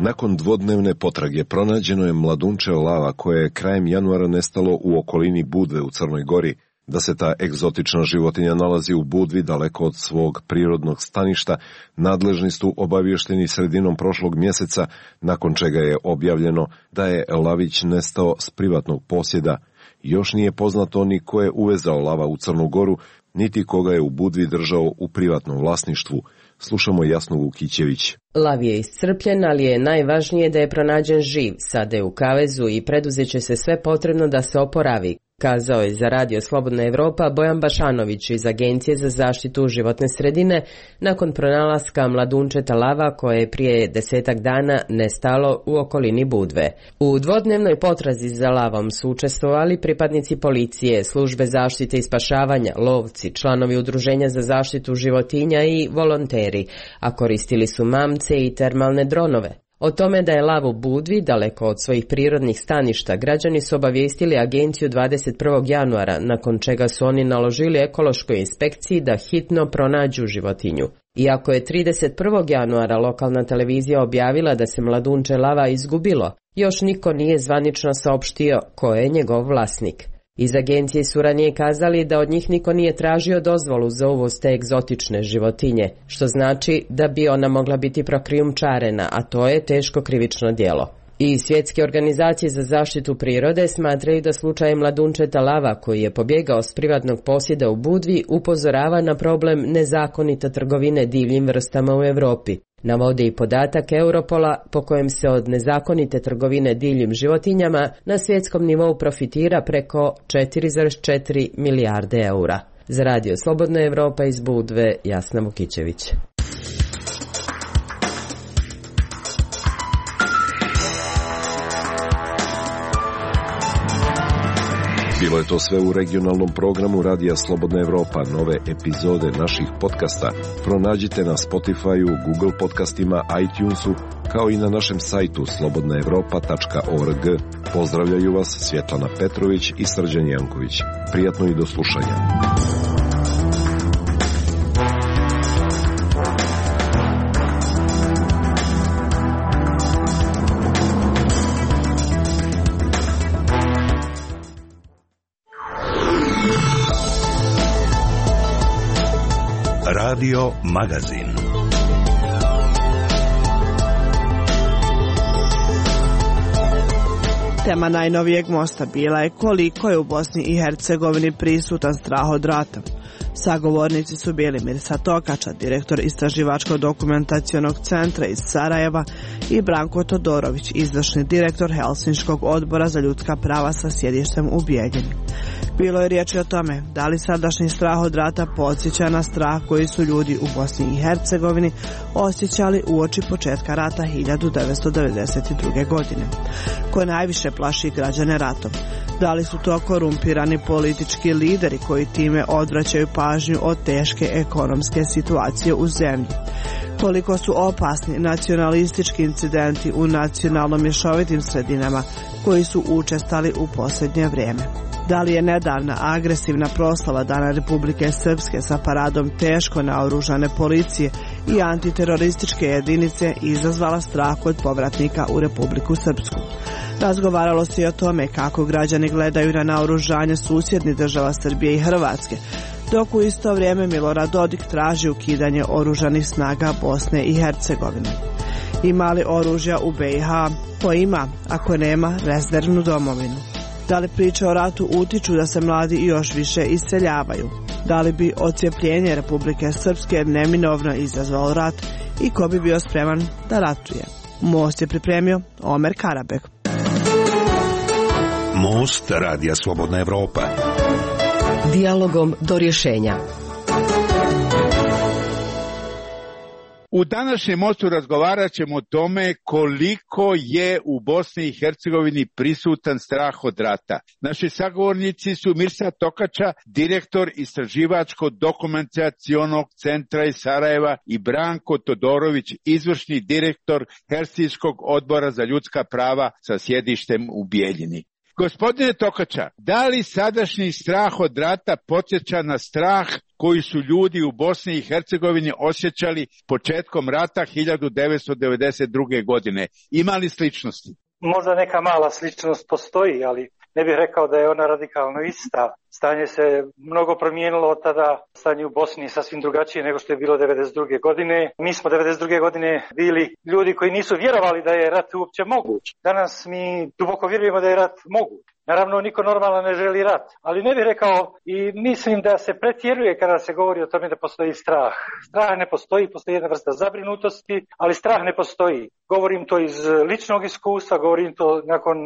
Nakon dvodnevne potrage pronađeno je mladunče lava koje je krajem januara nestalo u okolini Budve u Crnoj Gori. Da se ta egzotična životinja nalazi u Budvi daleko od svog prirodnog staništa, nadležni su obavješteni sredinom prošlog mjeseca, nakon čega je objavljeno da je lavić nestao s privatnog posjeda. Još nije poznato ni ko je uvezao lava u Crnu Goru, niti koga je u Budvi držao u privatnom vlasništvu. Slušamo Jasnu Vukićević. Lav je iscrpljen, ali je najvažnije da je pronađen živ, sada je u kavezu i preduzet će se sve potrebno da se oporavi, kazao je za Radio Slobodna Evropa Bojan Bašanović iz Agencije za zaštitu životne sredine nakon pronalaska mladunčeta lava koje je prije desetak dana nestalo u okolini Budve. U dvodnevnoj potrazi za lavom su učestvovali pripadnici policije, službe zaštite i spašavanja, lovci, članovi udruženja za zaštitu životinja i volonteri, a koristili su mamce i termalne dronove. O tome da je lav u Budvi, daleko od svojih prirodnih staništa, građani su obavijestili agenciju dvadeset prvog januara, nakon čega su oni naložili ekološkoj inspekciji da hitno pronađu životinju. Iako je trideset prvog januara lokalna televizija objavila da se mladunče lava izgubilo, još niko nije zvanično saopštio ko je njegov vlasnik. Iz agencije su ranije kazali da od njih niko nije tražio dozvolu za uvoz te egzotične životinje, što znači da bi ona mogla biti prokrijumčarena, a to je teško krivično djelo. I svjetske organizacije za zaštitu prirode smatraju da slučaj mladunčeta lava koji je pobjegao s privatnog posjeda u Budvi upozorava na problem nezakonite trgovine divljim vrstama u Europi. Navode i podatak Europola po kojem se od nezakonite trgovine divljim životinjama na svjetskom nivou profitira preko četiri zarez četiri milijarde eura. Za Radio Slobodna Evropa iz Budve, Jasna Vukićević. Bilo je to sve u regionalnom programu Radija Slobodna Evropa. Nove epizode naših podcasta pronađite na Spotify-u, Google podcastima, iTunesu, kao i na našem sajtu slobodna evropa tačka org. Pozdravljaju vas Svjetlana Petrović i Srđan Janković. Prijatno i do slušanja. Radio Magazin. Tema najnovijeg mosta bila je koliko je u Bosni i Hercegovini prisutan strah od rata. Sagovornici su bili Mirsa Tokača, direktor Istraživačko-dokumentacionog centra iz Sarajeva, i Branko Todorović, izvršni direktor Helsinškog odbora za ljudska prava sa sjedištem u Bijeljini. Bilo je riječi o tome da li sadašnji strah od rata podsjeća na strah koji su ljudi u Bosni i Hercegovini osjećali uoči početka rata hiljadu devetsto devedeset druge. godine. Ko najviše plaši građane ratom? Da li su to korumpirani politički lideri koji time odvraćaju pažnju od teške ekonomske situacije u zemlji? Koliko su opasni nacionalistički incidenti u nacionalno mješovitim sredinama koji su učestali u posljednje vrijeme? Da li je nedavna agresivna proslava Dana Republike Srpske sa paradom teško naoružane policije i antiterorističke jedinice izazvala strah kod povratnika u Republiku Srpsku? Razgovaralo se i o tome kako građani gledaju na naoružanje susjednih država Srbije i Hrvatske, dok u isto vrijeme Milorad Dodik traži ukidanje oružanih snaga Bosne i Hercegovine. Ima li oružja u B i H? Ko ima, ako nema, rezervnu domovinu? Da li priče o ratu utiču da se mladi još više iseljavaju? Da li bi odcijepljenje Republike Srpske neminovno izazvalo rat i ko bi bio spreman da ratuje? Most je pripremio Omer Karabek. Most Radija Slobodna Evropa. Dijalogom do rješenja. U današnjem mostu razgovarat ćemo o tome koliko je u Bosni i Hercegovini prisutan strah od rata. Naši sagovornici su Mirsa Tokača, direktor Istraživačko-dokumentacionog centra iz Sarajeva, i Branko Todorović, izvršni direktor Helsinškog odbora za ljudska prava sa sjedištem u Bijeljini. Gospodine Tokača, da li sadašnji strah od rata podsjeća na strah koji su ljudi u Bosni i Hercegovini osjećali početkom rata hiljadu devetsto devedeset druge. godine? Ima li sličnosti? Možda neka mala sličnost postoji, ali ne bih rekao da je ona radikalno ista. Stanje se mnogo promijenilo od tada, stanje u Bosni je sasvim drugačije nego što je bilo devedeset druge. godine. Mi smo devedeset druge. godine bili ljudi koji nisu vjerovali da je rat uopće moguć. Danas mi duboko vjerujemo da je rat moguć. Naravno, niko normalno ne želi rat, ali ne bih rekao i mislim da se pretjeruje kada se govori o tome da postoji strah. Strah ne postoji, postoji jedna vrsta zabrinutosti, ali strah ne postoji. Govorim to iz ličnog iskustva, govorim to nakon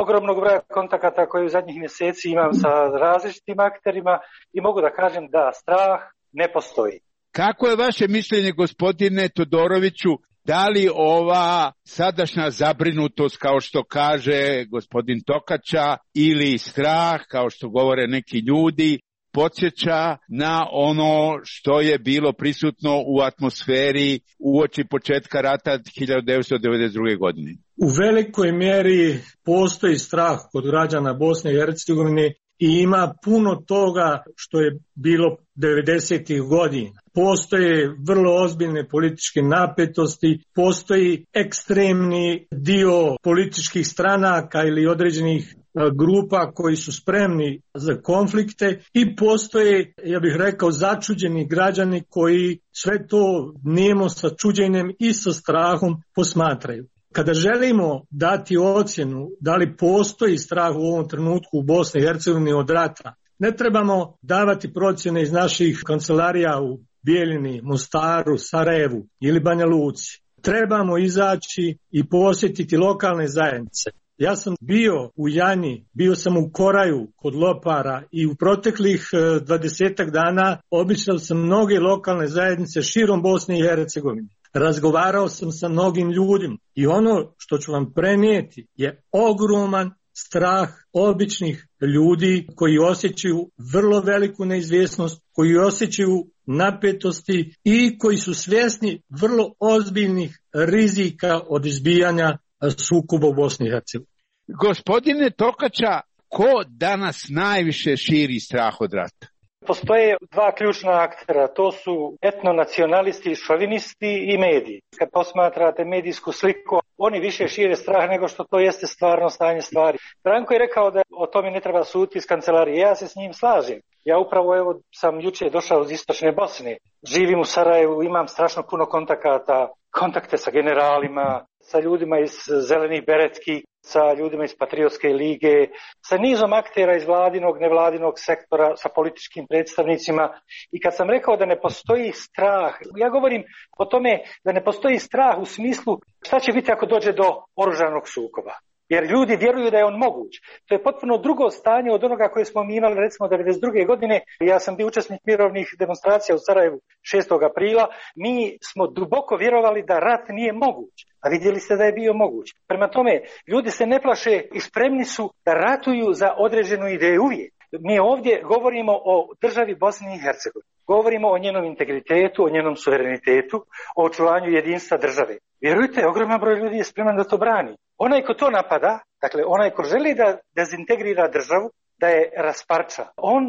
ogromnog broja kontakata koje u zadnjih mjeseci imam sa različitim akterima i mogu da kažem da strah ne postoji. Kako je vaše mišljenje, gospodine Todoroviću, da li ova sadašnja zabrinutost, kao što kaže gospodin Tokača, ili strah, kao što govore neki ljudi, podsjeća na ono što je bilo prisutno u atmosferi uoči početka rata hiljadu devetsto devedeset druge. godine? U velikoj mjeri postoji strah kod građana Bosne i Hercegovine i ima puno toga što je bilo devedesetih godina. Postoje vrlo ozbiljne političke napetosti, postoji ekstremni dio političkih stranaka ili određenih grupa koji su spremni za konflikte i postoje, ja bih rekao, začuđeni građani koji sve to nemo sa čuđenjem i sa strahom posmatraju. Kada želimo dati ocjenu da li postoji strah u ovom trenutku u Bosni i Hercegovini od rata, ne trebamo davati procjene iz naših kancelarija u Bijeljini, Mostaru, Sarajevu ili Banja Luci. Trebamo izaći i posjetiti lokalne zajednice. Ja sam bio u Janji, bio sam u Koraju kod Lopara i u proteklih dvadesetak dana obišao sam mnoge lokalne zajednice širom Bosne i Hercegovine. Razgovarao sam sa mnogim ljudima i ono što ću vam prenijeti je ogroman strah običnih ljudi koji osjećaju vrlo veliku neizvjesnost, koji osjećaju napetosti i koji su svjesni vrlo ozbiljnih rizika od izbijanja sukoba u Bosni i Hercegovini. Gospodine Tokača, ko danas najviše širi strah od rata? Postoje dva ključna aktera, to su etnonacionalisti, šovinisti i mediji. Kad posmatrate medijsku sliku, oni više šire strah nego što to jeste stvarno stanje stvari. Branko je rekao da o tome ne treba suditi iz kancelarije, ja se s njim slažem. Ja upravo evo sam jučer došao iz istočne Bosne, živim u Sarajevu, imam strašno puno kontakata, kontakte sa generalima, sa ljudima iz zelenih beretki, sa ljudima iz Patriotske lige, sa nizom aktera iz vladinog, nevladinog sektora, sa političkim predstavnicima. I kad sam rekao da ne postoji strah, ja govorim o tome da ne postoji strah u smislu šta će biti ako dođe do oružanog sukoba. Jer ljudi vjeruju da je on moguć. To je potpuno drugo stanje od onoga koje smo mi imali recimo devedeset druge godine. Ja sam bio učesnik mirovnih demonstracija u Sarajevu šestog aprila. Mi smo duboko vjerovali da rat nije moguć. A vidjeli ste da je bio moguć. Prema tome, ljudi se ne plaše i spremni su da ratuju za određenu ideju uvijek. Mi ovdje govorimo o državi Bosne i Hercegovine. Govorimo o njenom integritetu, o njenom suverenitetu, o očuvanju jedinstva države. Vjerujte, ogroman broj ljudi je spreman da to brani. Onaj ko to napada, dakle onaj ko želi da dezintegrira državu, da je rasparča, on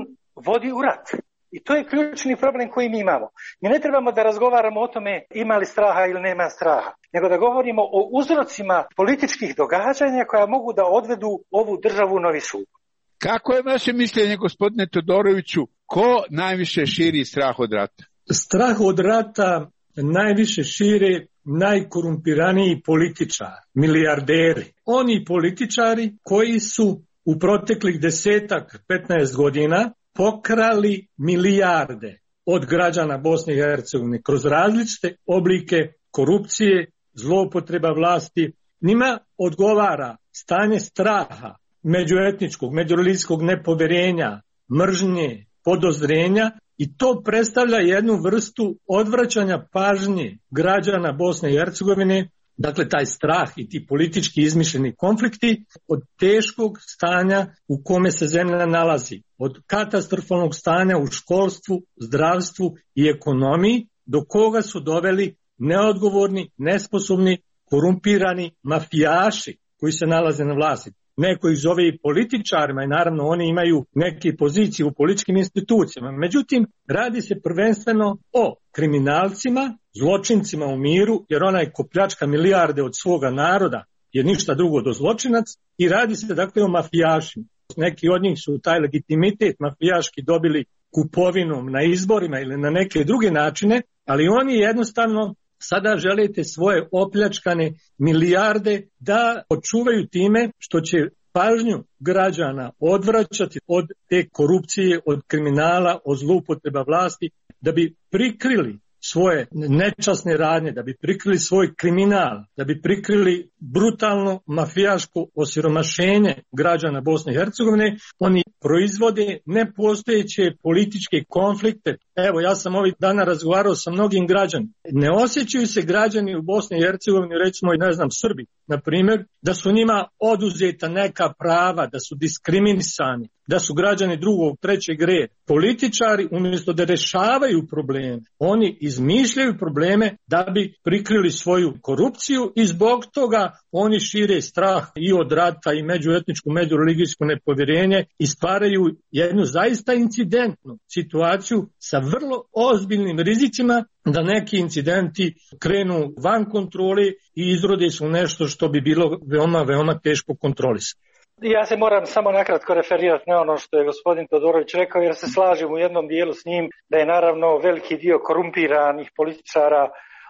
vodi u rat. I to je ključni problem koji mi imamo. Mi ne trebamo da razgovaramo o tome ima li straha ili nema straha, nego da govorimo o uzrocima političkih događanja koja mogu da odvedu ovu državu u novi sukob. Kako je vaše mišljenje, gospodine Todoroviću, ko najviše širi strah od rata? Strah od rata najviše šire najkorumpiraniji političari, milijarderi. Oni političari koji su u proteklih desetak, petnaest godina pokrali milijarde od građana Bosne i Hercegovine kroz različite oblike korupcije, zloupotreba vlasti. Njima odgovara stanje straha, međuetničkog, međureligijskog nepoverenja, mržnje, podozrenja i to predstavlja jednu vrstu odvraćanja pažnje građana Bosne i Hercegovine, dakle taj strah i ti politički izmišljeni konflikti od teškog stanja u kome se zemlja nalazi, od katastrofalnog stanja u školstvu, zdravstvu i ekonomiji, do koga su doveli neodgovorni, nesposobni, korumpirani mafijaši koji se nalaze na vlasti. Neko ih zove i političarima i naravno oni imaju neke pozicije u političkim institucijama. Međutim, radi se prvenstveno o kriminalcima, zločincima u miru, jer onaj ko pljačka milijarde od svoga naroda je ništa drugo do zločinac i radi se dakle o mafijašima. Neki od njih su taj legitimitet mafijaški dobili kupovinom na izborima ili na neke druge načine, ali oni jednostavno sada želite svoje opljačkane milijarde da očuvaju time što će pažnju građana odvraćati od te korupcije, od kriminala, od zloupotreba vlasti, da bi prikrili svoje nečasne radnje, da bi prikrili svoj kriminal, da bi prikrili brutalno mafijaško osiromašenje građana Bosne i Hercegovine. Oni proizvode nepostojeće političke konflikte. Evo, ja sam ovih dana razgovarao sa mnogim građanima. Ne osjećaju se građani u Bosni i Hercegovini, recimo i ne znam Srbi, na primjer, da su njima oduzeta neka prava, da su diskriminisani, da su građani drugog, trećeg reda. Političari umjesto da rešavaju probleme, oni izmišljaju probleme da bi prikrili svoju korupciju i zbog toga oni šire strah i od rata i međuetničko, međureligijsko nepovjerenje i stvaraju jednu zaista incidentnu situaciju sa vrlo ozbiljnim rizicima da neki incidenti krenu van kontrole i izrode su nešto što bi bilo veoma, veoma teško kontrolisati. Ja se moram samo nakratko referirati na ono što je gospodin Todorović rekao, jer se slažem u jednom dijelu s njim da je naravno veliki dio korumpiranih političara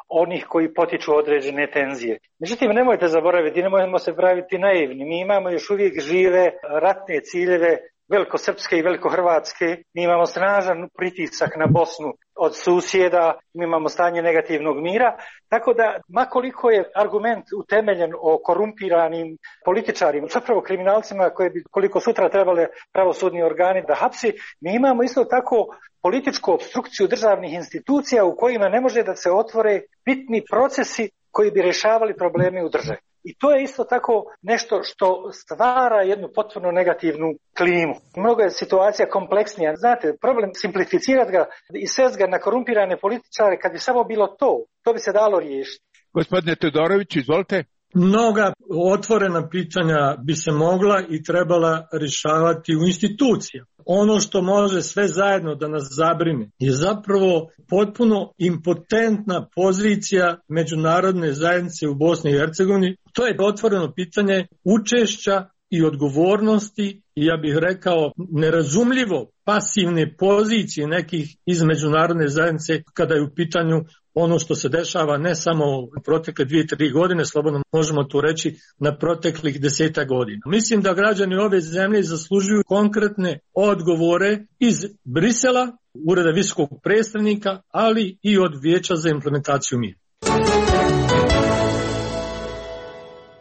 onih koji potiču određene tenzije. Međutim, nemojte zaboraviti, nemojmo se praviti naivni. Mi imamo još uvijek žive ratne ciljeve velikosrpske i velikohrvatske. Mi imamo snažan pritisak na Bosnu od susjeda, mi imamo stanje negativnog mira, tako da makoliko je argument utemeljen o korumpiranim političarima, zapravo kriminalcima koje bi koliko sutra trebale pravosudni organi da hapsi, mi imamo isto tako političku opstrukciju državnih institucija u kojima ne može da se otvore bitni procesi koji bi rješavali probleme u državi. I to je isto tako nešto što stvara jednu potpuno negativnu klimu. Mnogo je situacija kompleksnija. Znate, problem simplificirati ga i svest ga na korumpirane političare, kad bi samo bilo to, to bi se dalo riješiti. Gospodine Todoroviću, izvolite. Mnoga otvorena pitanja bi se mogla i trebala rješavati u institucijama. Ono što može sve zajedno da nas zabrine je zapravo potpuno impotentna pozicija međunarodne zajednice u Bosni i Hercegovini. To je otvoreno pitanje učešća i odgovornosti i ja bih rekao nerazumljivo pasivne pozicije nekih iz međunarodne zajednice kada je u pitanju ono što se dešava ne samo u protekle dvije, tri godine, slobodno možemo to reći na proteklih deseta godina. Mislim da građani ove zemlje zaslužuju konkretne odgovore iz Brisela, Ureda visokog predstavnika, ali i od Vijeća za implementaciju mira.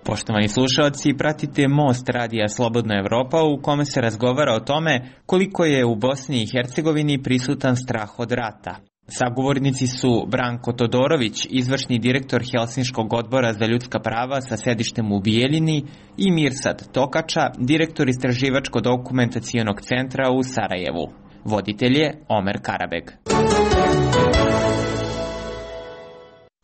Poštovani slušalci, pratite Most radija Slobodna Evropa u kome se razgovara o tome koliko je u Bosni i Hercegovini prisutan strah od rata. Sagovornici su Branko Todorović, izvršni direktor Helsinškog odbora za ljudska prava sa sedištem u Bijeljini, i Mirsad Tokača, direktor Istraživačko-dokumentacionog centra u Sarajevu. Voditelj je Omer Karabeg.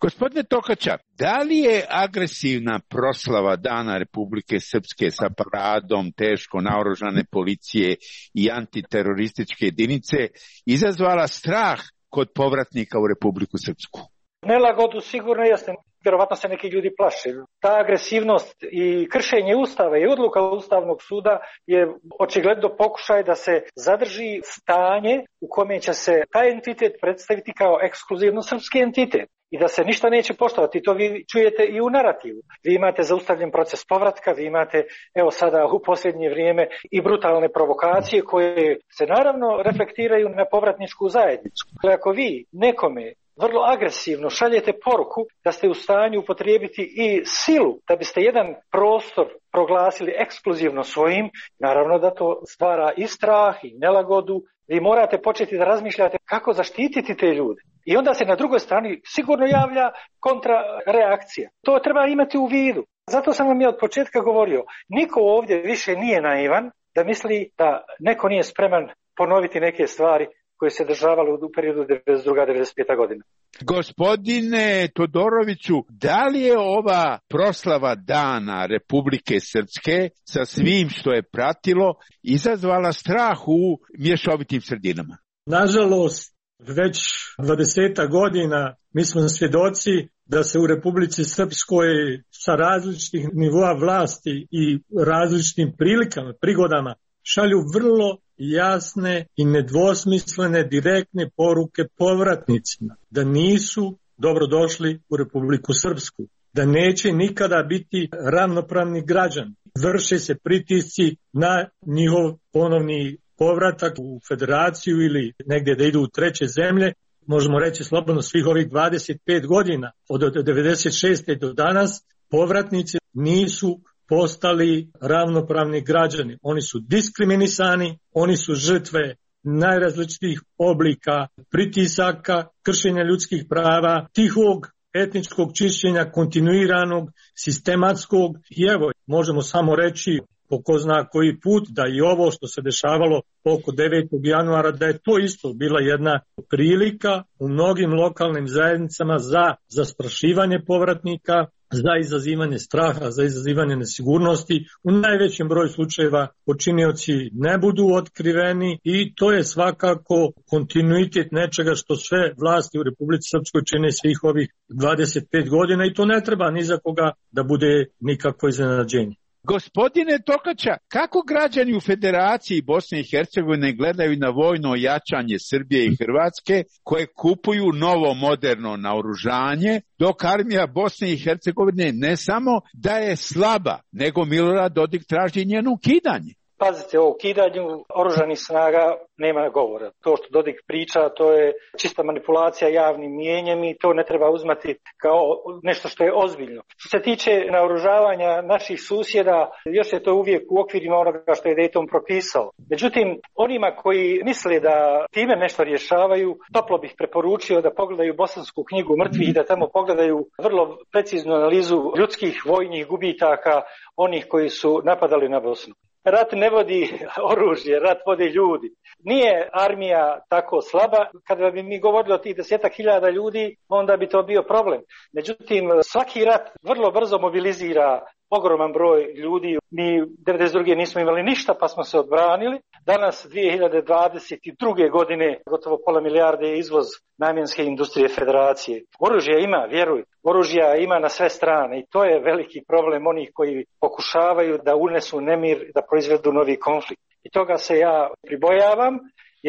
Gospodine Tokača, da li je agresivna proslava Dana Republike Srpske sa paradom teško naoružane policije i antiterorističke jedinice izazvala strah kod povratnika u Republiku Srpsku? Nelagodu sigurno jeste. Vjerovatno se neki ljudi plaše. Ta agresivnost i kršenje Ustava i odluka Ustavnog suda je očigledno pokušaj da se zadrži stanje u kome će se taj entitet predstaviti kao ekskluzivno srpski entitet i da se ništa neće poštovati. To vi čujete i u narativu. Vi imate zaustavljen proces povratka, vi imate evo sada u posljednje vrijeme i brutalne provokacije koje se naravno reflektiraju na povratničku zajednicu. Ako vi nekome vrlo agresivno šaljete poruku da ste u stanju upotrijebiti i silu da biste jedan prostor proglasili ekskluzivno svojim, naravno da to stvara i strah i nelagodu. Vi morate početi da razmišljate kako zaštititi te ljude. I onda se na drugoj strani sigurno javlja kontrareakcija. To treba imati u vidu. Zato sam vam ja od početka govorio, niko ovdje više nije naivan da misli da neko nije spreman ponoviti neke stvari koje se dešavalo u periodu devedeset druga do devedeset peta godina. Gospodine Todoroviću, da li je ova proslava Dana Republike Srpske sa svim što je pratilo izazvala strah u mješovitim sredinama? Nažalost, već dvadeseta godina mi smo svjedoci da se u Republici Srpskoj sa različitih nivoa vlasti i različitim prilikama, prigodama šalju vrlo jasne i nedvosmislene direktne poruke povratnicima da nisu dobrodošli u Republiku Srpsku, da neće nikada biti ravnopravni građani. Vrše se pritisci na njihov ponovni povratak u federaciju ili negdje da idu u treće zemlje. Možemo reći slobodno svih ovih dvadeset pet godina od devedeset šeste do danas povratnici nisu postali ravnopravni građani. Oni su diskriminisani, oni su žrtve najrazličitijih oblika pritisaka, kršenja ljudskih prava, tihog etničkog čišćenja, kontinuiranog, sistematskog. I evo, možemo samo reći po ko zna koji put da i ovo što se dešavalo oko devetog januara, da je to isto bila jedna prilika u mnogim lokalnim zajednicama za zastrašivanje povratnika, za izazivanje straha, za izazivanje nesigurnosti. U najvećem broju slučajeva počinioci ne budu otkriveni i to je svakako kontinuitet nečega što sve vlasti u Republici Srpskoj čine svih ovih dvadeset pet godina i to ne treba ni za koga da bude nikakvo iznenađenje. Gospodine Tokača, kako građani u Federaciji Bosne i Hercegovine gledaju na vojno jačanje Srbije i Hrvatske koje kupuju novo moderno naoružanje, dok armija Bosne i Hercegovine ne samo da je slaba, nego Milorad Dodik traži njeno ukidanje? Pazite, o ukidanju oružanih snaga nema govora. To što Dodik priča, to je čista manipulacija javnim mijenjem i to ne treba uzmati kao nešto što je ozbiljno. Što se tiče naoružavanja naših susjeda, još je to uvijek u okvirima onoga što je Dayton propisao. Međutim, onima koji misle da time nešto rješavaju, toplo bih preporučio da pogledaju Bosansku knjigu mrtvih i da tamo pogledaju vrlo preciznu analizu ljudskih vojnih gubitaka onih koji su napadali na Bosnu. Rat ne vodi oružje, rat vodi ljudi. Nije armija tako slaba. Kada bi mi govorili o tih desetak hiljada ljudi, onda bi to bio problem. Međutim, svaki rat vrlo brzo mobilizira ogroman broj ljudi. Mi devedeset druge nismo imali ništa pa smo se odbranili. Danas dvije hiljade dvadeset druge godine gotovo pola milijarde je izvoz namjenske industrije federacije. Oružja ima, vjeruj, oružja ima na sve strane i to je veliki problem onih koji pokušavaju da unesu nemir, da proizvedu novi konflikt. I toga se ja pribojavam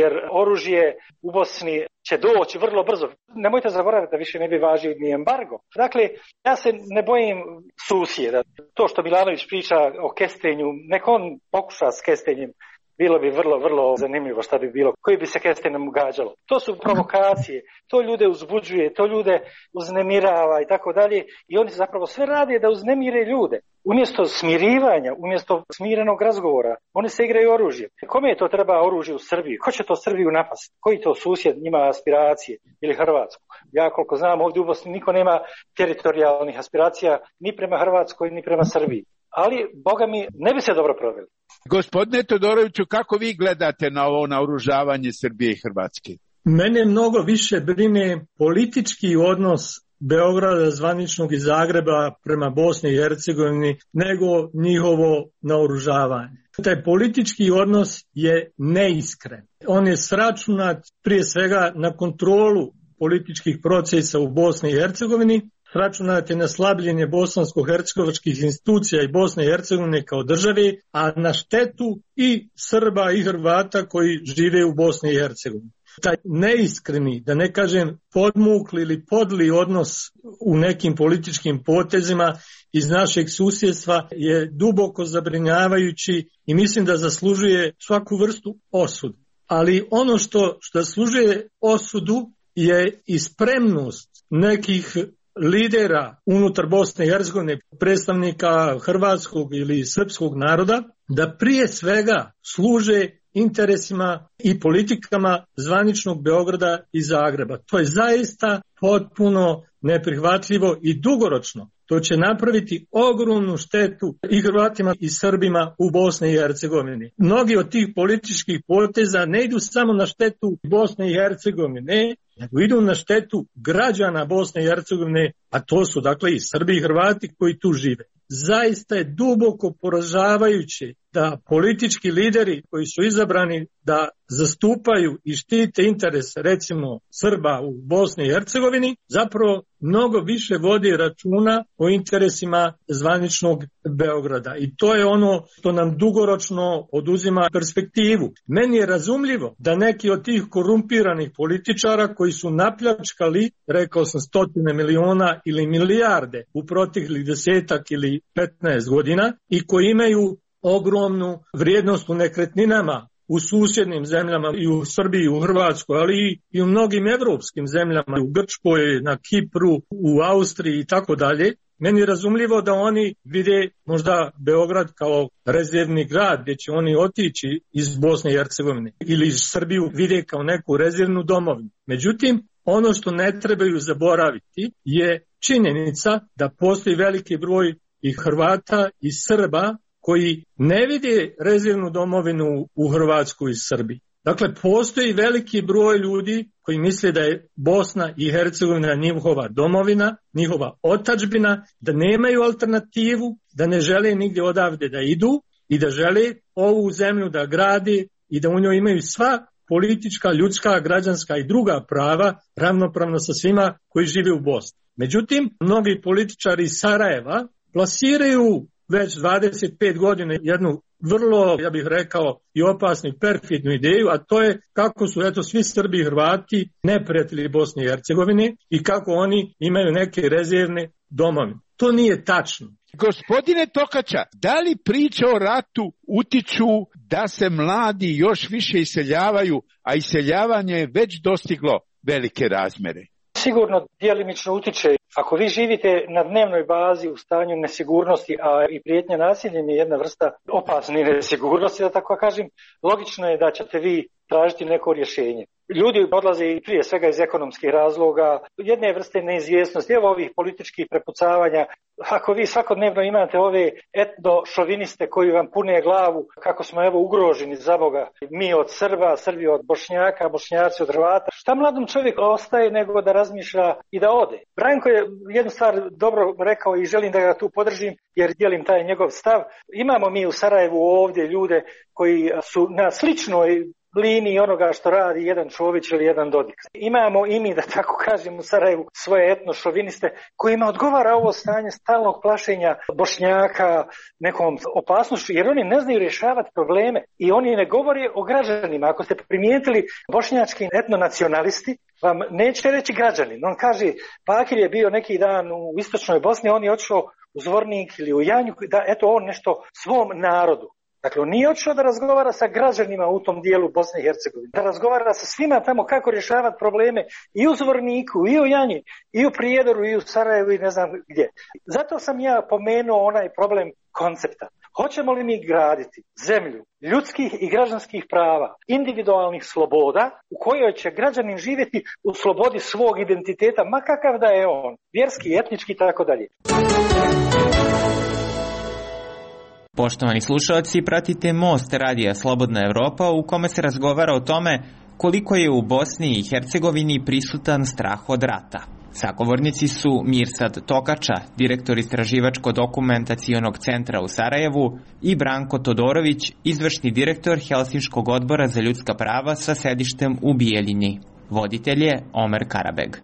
jer oružje u Bosni će doći vrlo brzo. Nemojte zaboraviti da više ne bi važio ni embargo. Dakle, ja se ne bojim susjeda. To što Milanović priča o kestenju, nek on pokuša s kestenjem. Bilo bi vrlo, vrlo zanimljivo šta bi bilo, koji bi se kestenjem gađalo. To su provokacije, to ljude uzbuđuje, to ljude uznemirava i tako dalje. I oni zapravo sve rade da uznemire ljude. Umjesto smirivanja, umjesto smirenog razgovora, oni se igraju oružje. Kome je to treba oružje u Srbiji? Ko će to Srbiju napasti? Koji to susjed ima aspiracije? Ili Hrvatsku? Ja koliko znam ovdje u Bosni niko nema teritorijalnih aspiracija ni prema Hrvatskoj ni prema Srbiji. Ali, Boga mi, ne bi se dobro proveli. Gospodine Todoroviću, kako vi gledate na ovo naoružavanje Srbije i Hrvatske? Mene mnogo više brine politički odnos Beograda zvaničnog i Zagreba prema Bosni i Hercegovini nego njihovo naoružavanje. Taj politički odnos je neiskren. On je sračunat prije svega na kontrolu političkih procesa u Bosni i Hercegovini, sračunat je na slabljenje bosansko-hercegovačkih institucija i Bosne i Hercegovine kao države, a na štetu i Srba i Hrvata koji žive u Bosni i Hercegovini. Taj neiskreni, da ne kažem podmukli ili podli odnos u nekim političkim potezima iz našeg susjedstva je duboko zabrinjavajući i mislim da zaslužuje svaku vrstu osudu. Ali ono što, što zaslužuje osudu je i spremnost nekih lidera unutar Bosne i Hercegovine, predstavnika hrvatskog ili srpskog naroda, da prije svega služe interesima i politikama zvaničnog Beograda i Zagreba. To je zaista potpuno neprihvatljivo i dugoročno. To će napraviti ogromnu štetu i Hrvatima i Srbima u Bosni i Hercegovini. Mnogi od tih političkih poteza ne idu samo na štetu Bosne i Hercegovine, nego idu na štetu građana Bosne i Hercegovine, a to su dakle i Srbi i Hrvati koji tu žive. Zaista je duboko poražavajuće da politički lideri koji su izabrani da zastupaju i štite interese recimo Srba u Bosni i Hercegovini zapravo mnogo više vodi računa o interesima zvaničnog Beograda. I to je ono što nam dugoročno oduzima perspektivu. Meni je razumljivo da neki od tih korumpiranih političara koji su napljačkali, rekao sam, stotine miliona ili milijarde u proteklih desetak ili petnaest godina i koji imaju ogromnu vrijednost u nekretninama u susjednim zemljama i u Srbiji i u Hrvatskoj, ali i u mnogim evropskim zemljama, u Grčkoj, na Kipru, u Austriji i tako dalje. Meni je razumljivo da oni vide možda Beograd kao rezervni grad gdje će oni otići iz Bosne i Hercegovine ili iz Srbiju vide kao neku rezervnu domovinu. Međutim, ono što ne trebaju zaboraviti je činjenica da postoji veliki broj i Hrvata i Srba koji ne vide rezervnu domovinu u Hrvatskoj i Srbiji. Dakle, postoji veliki broj ljudi koji misle da je Bosna i Hercegovina njihova domovina, njihova otadžbina, da nemaju alternativu, da ne žele nigdje odavde da idu i da žele ovu zemlju da grade i da u njoj imaju sva politička, ljudska, građanska i druga prava ravnopravno sa svima koji žive u Bosni. Međutim, mnogi političari iz Sarajeva plasiraju već dvadeset pet godina jednu vrlo, ja bih rekao, i opasnu i perfidnu ideju, a to je kako su eto svi Srbi i Hrvati neprijatelji Bosne i Hercegovine i kako oni imaju neke rezervne domovine. To nije tačno. Gospodine Tokača, da li priče o ratu utiču da se mladi još više iseljavaju, a iseljavanje je već dostiglo velike razmere? Sigurno djelimično utiče. Ako vi živite na dnevnoj bazi u stanju nesigurnosti, a i prijetnja nasiljem je jedna vrsta opasne nesigurnosti, da tako kažem, logično je da ćete vi tražiti neko rješenje. Ljudi odlaze i prije svega iz ekonomskih razloga, jedne vrste neizvjesnosti, evo ovih političkih prepucavanja. Ako vi svakodnevno imate ove etno-šoviniste koji vam pune glavu kako smo evo ugroženi za Boga, mi od Srba, Srbi od Bošnjaka, Bošnjaci od Hrvata, šta mladom čovjeku ostaje nego da razmišlja i da ode? Branko je jednu stvar dobro rekao i želim da ga tu podržim jer dijelim taj njegov stav. Imamo mi u Sarajevu ovdje ljude koji su na sličnoj liniji onoga što radi jedan Čović ili jedan Dodik. Imamo i mi, da tako kažem, u Sarajevu svoje etnošoviniste kojima odgovara ovo stanje stalnog plašenja Bošnjaka nekom opasnošću, jer oni ne znaju rješavati probleme i oni ne govore o građanima. Ako ste primijetili, bošnjački etnonacionalisti vam neće reći građanin. On kaže, Bakir je bio neki dan u istočnoj Bosni, on je otišao u Zvornik ili u Janju, da eto on nešto svom narodu. Dakle, on nije otišao da razgovara sa građanima u tom dijelu Bosne i Hercegovine, da razgovara sa svima tamo kako rješavati probleme i u Zvorniku, i u Janji, i u Prijedoru, i u Sarajevu i ne znam gdje. Zato sam ja pomenuo onaj problem koncepta. Hoćemo li mi graditi zemlju ljudskih i građanskih prava, individualnih sloboda u kojoj će građanin živjeti u slobodi svog identiteta, ma kakav da je on, vjerski, etnički i tako dalje. Poštovani slušalci, pratite Most radija Slobodna Evropa u kome se razgovara o tome koliko je u Bosni i Hercegovini prisutan strah od rata. Sagovornici su Mirsad Tokača, direktor Istraživačko-dokumentacionog centra u Sarajevu, i Branko Todorović, izvršni direktor Helsinškog odbora za ljudska prava sa sedištem u Bijeljini. Voditelj je Omer Karabeg.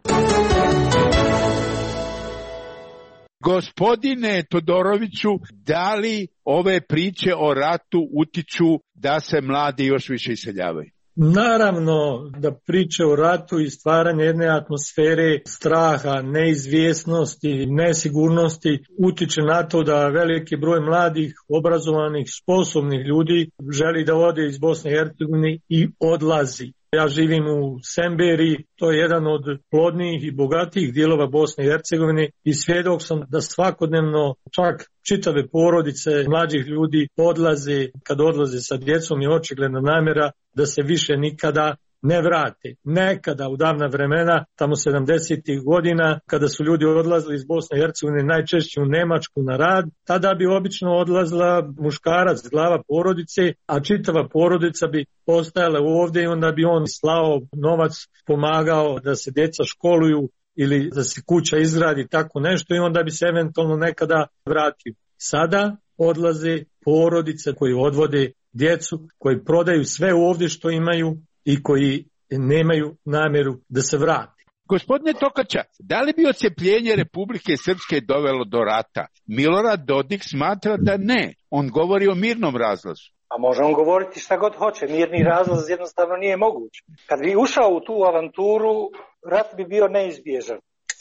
Gospodine Todoroviću, da li ove priče o ratu utiču da se mladi još više iseljavaju? Naravno da priče o ratu i stvaranje jedne atmosfere straha, neizvjesnosti, nesigurnosti utiče na to da veliki broj mladih, obrazovanih, sposobnih ljudi želi da ode iz Bosne i Hercegovine i odlazi. Ja živim u Semberi, to je jedan od plodnijih i bogatijih dijelova Bosne i Hercegovine i svjedok sam da svakodnevno čak čitave porodice mlađih ljudi odlaze, kad odlaze sa djecom je očigledna namjera da se više nikada ne vrate. Nekada u davna vremena, tamo sedamdesetih godina, kada su ljudi odlazili iz Bosne i Hercegovine najčešće u Nemačku na rad, tada bi obično odlazila muškarac, glava porodice, a čitava porodica bi ostajala ovdje i onda bi on slao novac, pomagao da se djeca školuju ili da se kuća izgradi, tako nešto, i onda bi se eventualno nekada vratio. Sada odlaze porodice koji odvode djecu, koji prodaju sve ovdje što imaju i koji nemaju namjeru da se vrati. Gospodine Tokača, da li bi odcepljenje Republike Srpske dovelo do rata? Milorad Dodik smatra da ne. On govori o mirnom razlazu. A može on govoriti šta god hoće. Mirni razlaz jednostavno nije moguć. Kad bi ušao u tu avanturu, rat bi bio neizbježan.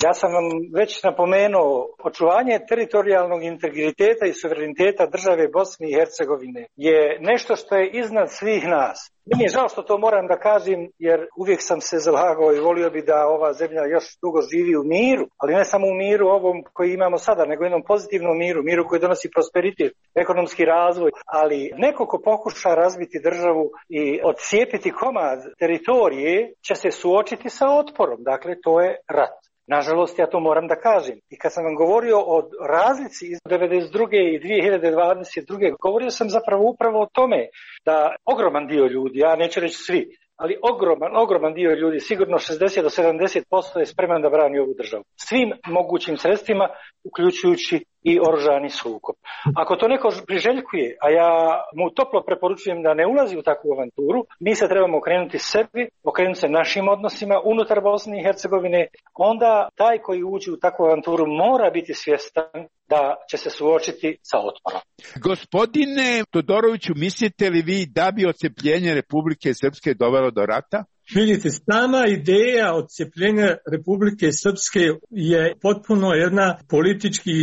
Ja sam vam već napomenuo, očuvanje teritorijalnog integriteta i suvereniteta države Bosne i Hercegovine je nešto što je iznad svih nas. Meni je žao što to moram da kažem, jer uvijek sam se zalagao i volio bi da ova zemlja još dugo živi u miru, ali ne samo u miru ovom koji imamo sada, nego jednom pozitivnom miru, miru koji donosi prosperitet, ekonomski razvoj, ali neko ko pokuša razbiti državu i odcijepiti komad teritorije će se suočiti sa otporom, dakle to je rat. Nažalost, ja to moram da kažem. I kad sam vam govorio o razlici iz devedeset druge i dvije hiljade dvadeset druge. govorio sam zapravo upravo o tome da ogroman dio ljudi, ja neću reći svi, ali ogroman, ogroman dio ljudi, sigurno šezdeset do sedamdeset posto je spreman da brani ovu državu. Svim mogućim sredstvima, uključujući i oružani sukob. Ako to neko priželjkuje, a ja mu toplo preporučujem da ne ulazi u takvu avanturu, mi se trebamo okrenuti sebi, okrenuti se našim odnosima unutar Bosne i Hercegovine, onda taj koji uđe u takvu avanturu mora biti svjestan da će se suočiti sa otporom. Gospodine Todoroviću, mislite li vi da bi odcepljenje Republike Srpske dovelo do rata? Vidite, sama ideja odcepljenja Republike Srpske je potpuno jedna politički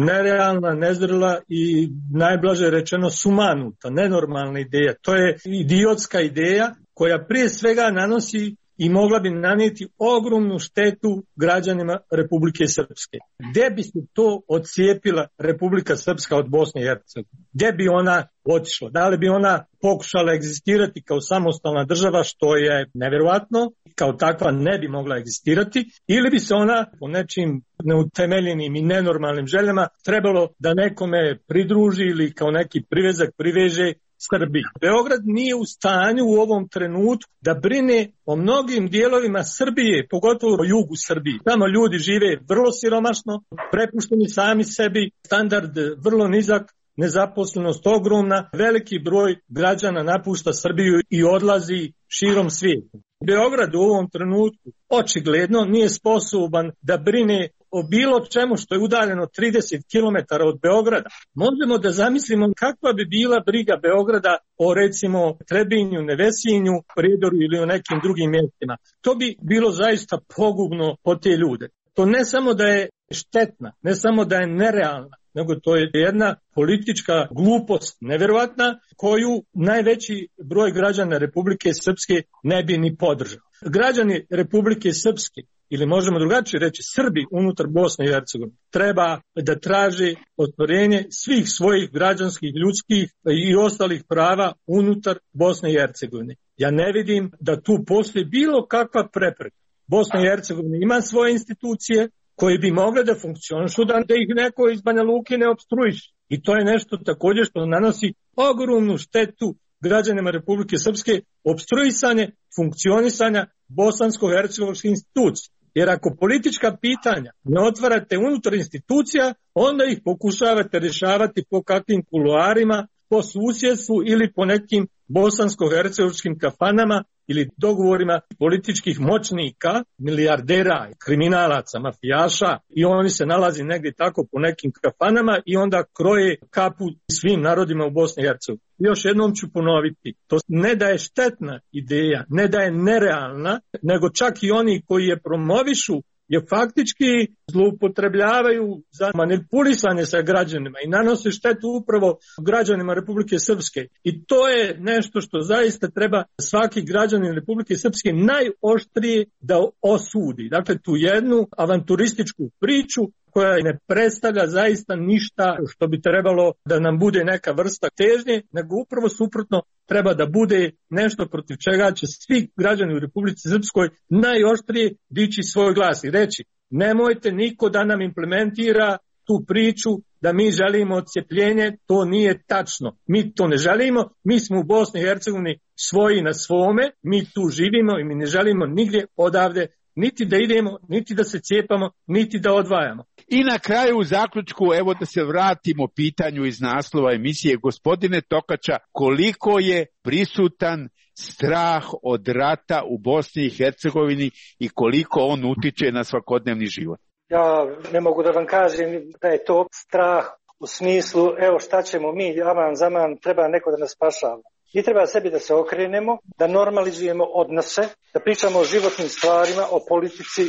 nerealna, nezrela i najblaže rečeno sumanuta, nenormalna ideja. To je idiotska ideja koja prije svega nanosi i mogla bi nanijeti ogromnu štetu građanima Republike Srpske. Gde bi se to odcijepila Republika Srpska od Bosne i Hercegovine? Gde bi ona otišla? Da li bi ona pokušala egzistirati kao samostalna država, što je neverovatno, kao takva ne bi mogla egzistirati, ili bi se ona po nečim neutemeljenim i nenormalnim željama trebalo da nekome pridruži ili kao neki privezak priveže Srbiji. Beograd nije u stanju u ovom trenutku da brine o mnogim dijelovima Srbije, pogotovo o jugu Srbije. Tamo ljudi žive vrlo siromašno, prepušteni sami sebi, standard vrlo nizak, nezaposlenost ogromna, veliki broj građana napušta Srbiju i odlazi širom svijeta. Beograd u ovom trenutku očigledno nije sposoban da brine o bilo čemu što je udaljeno trideset kilometara od Beograda. Možemo da zamislimo kakva bi bila briga Beograda o recimo Trebinju, Nevesinju, Prijedoru ili o nekim drugim mjestima. To bi bilo zaista pogubno po te ljude. To ne samo da je štetna, ne samo da je nerealna, nego to je jedna politička glupost nevjerovatna koju najveći broj građana Republike Srpske ne bi ni podržao. Građani Republike Srpske, ili možemo drugačije reći Srbi unutar Bosne i Hercegovine, treba da traže ostvarenje svih svojih građanskih, ljudskih i ostalih prava unutar Bosne i Hercegovine. Ja ne vidim da tu postoji bilo kakva prepreka. Bosna i Hercegovina ima svoje institucije koje bi mogle da funkcionišu, da ih neko iz Banja Luke ne opstruiše. I to je nešto također što nanosi ogromnu štetu građanima Republike Srpske, opstruisanje funkcionisanja bosansko-hercegovačkih institucija. Jer ako politička pitanja ne otvarate unutar institucija, onda ih pokušavate rješavati po kakvim kuloarima, po susjedstvu ili po nekim bosansko-hercegovačkim kafanama ili dogovorima političkih moćnika, milijardera, kriminalaca, mafijaša, i oni se nalazi negdje tako po nekim kafanama i onda kroje kapu svim narodima u Bosni i Hercegovini. Još jednom ću ponoviti, to ne da je štetna ideja, ne da je nerealna, nego čak i oni koji je promovišu je faktički zloupotrebljavaju za manipulisanje sa građanima i nanose štetu upravo građanima Republike Srpske. I to je nešto što zaista treba svaki građanin Republike Srpske najoštrije da osudi. Dakle, tu jednu avanturističku priču koja ne predstavlja zaista ništa što bi trebalo da nam bude neka vrsta težnje, nego upravo suprotno treba da bude nešto protiv čega će svi građani u Republici Srpskoj najoštrije dići svoj glas i reći: nemojte niko da nam implementira tu priču da mi želimo odcepljenje, to nije tačno. Mi to ne želimo, mi smo u Bosni i Hercegovini svoji na svome, mi tu živimo i mi ne želimo nigdje odavde niti da idemo, niti da se cijepamo, niti da odvajamo. I na kraju u zaključku, evo da se vratimo pitanju iz naslova emisije, gospodine Tokača, koliko je prisutan strah od rata u Bosni i Hercegovini i koliko on utiče na svakodnevni život? Ja ne mogu da vam kažem da je to strah u smislu, evo šta ćemo mi, aman zaman, treba neko da nas spašava. Mi treba sebi da se okrenemo, da normalizujemo odnose, da pričamo o životnim stvarima, o politici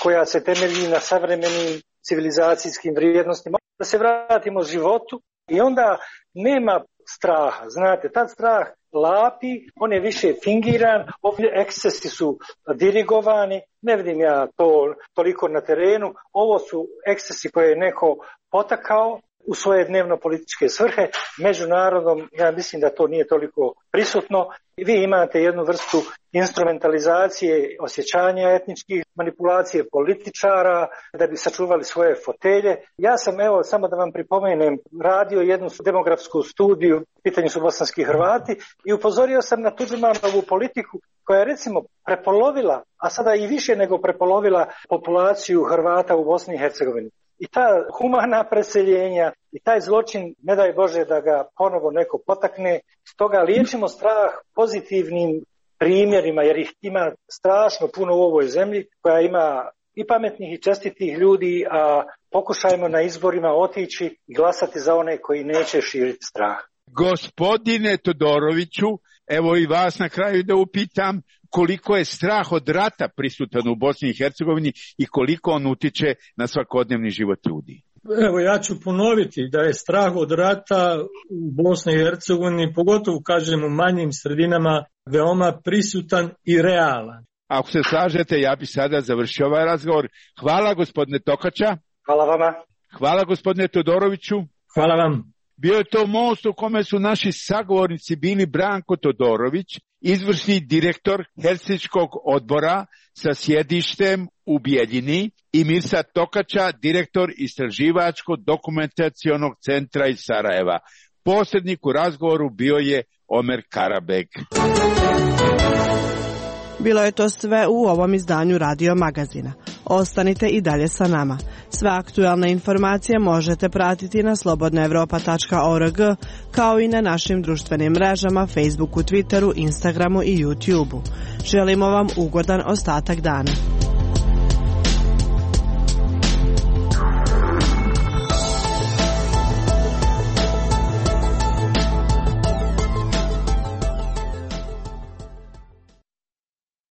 koja se temelji na savremenim civilizacijskim vrijednostima, da se vratimo životu i onda nema straha. Znate, tad strah lapi, on je više fingiran, ovdje ekscesi su dirigovani, ne vidim ja to toliko na terenu, ovo su ekscesi koje je neko potakao u svoje dnevno političke svrhe. Međunarodom, ja mislim da to nije toliko prisutno. Vi imate jednu vrstu instrumentalizacije, osjećanja etničkih, manipulacije političara da bi sačuvali svoje fotelje. Ja sam, evo, samo da vam pripomenem, radio jednu demografsku studiju, pitanje su bosanski Hrvati, i upozorio sam na Tudžmanovu politiku koja je recimo prepolovila, a sada i više nego prepolovila populaciju Hrvata u Bosni i Hercegovini. I ta humana preseljenja i taj zločin, ne daj Bože da ga ponovo neko potakne, stoga liječimo strah pozitivnim primjerima, jer ih ima strašno puno u ovoj zemlji, koja ima i pametnih i čestitih ljudi, a pokušajmo na izborima otići i glasati za one koji neće širiti strah. Gospodine Todoroviću, evo i vas na kraju da upitam koliko je strah od rata prisutan u Bosni i Hercegovini i koliko on utiče na svakodnevni život ljudi. Evo, ja ću ponoviti da je strah od rata u Bosni i Hercegovini, pogotovo kažem u manjim sredinama, veoma prisutan i realan. Ako se slažete, ja bi sada završio ovaj razgovor. Hvala gospodine Tokača. Hvala vama. Hvala gospodine Todoroviću. Hvala vam. Bio je to most u kome su naši sagovornici bili Branko Todorović, izvršni direktor Helsinškog odbora sa sjedištem u Bijeljini, i Mirsad Tokača, direktor Istraživačko-dokumentacionog centra iz Sarajeva. Posrednik u razgovoru bio je Omer Karabek. Bilo je to sve u ovom izdanju Radio Magazina. Ostanite i dalje sa nama. Sve aktualne informacije možete pratiti na slobodna evropa tačka org, kao i na našim društvenim mrežama, Facebooku, Twitteru, Instagramu i YouTubeu. Želimo vam ugodan ostatak dana.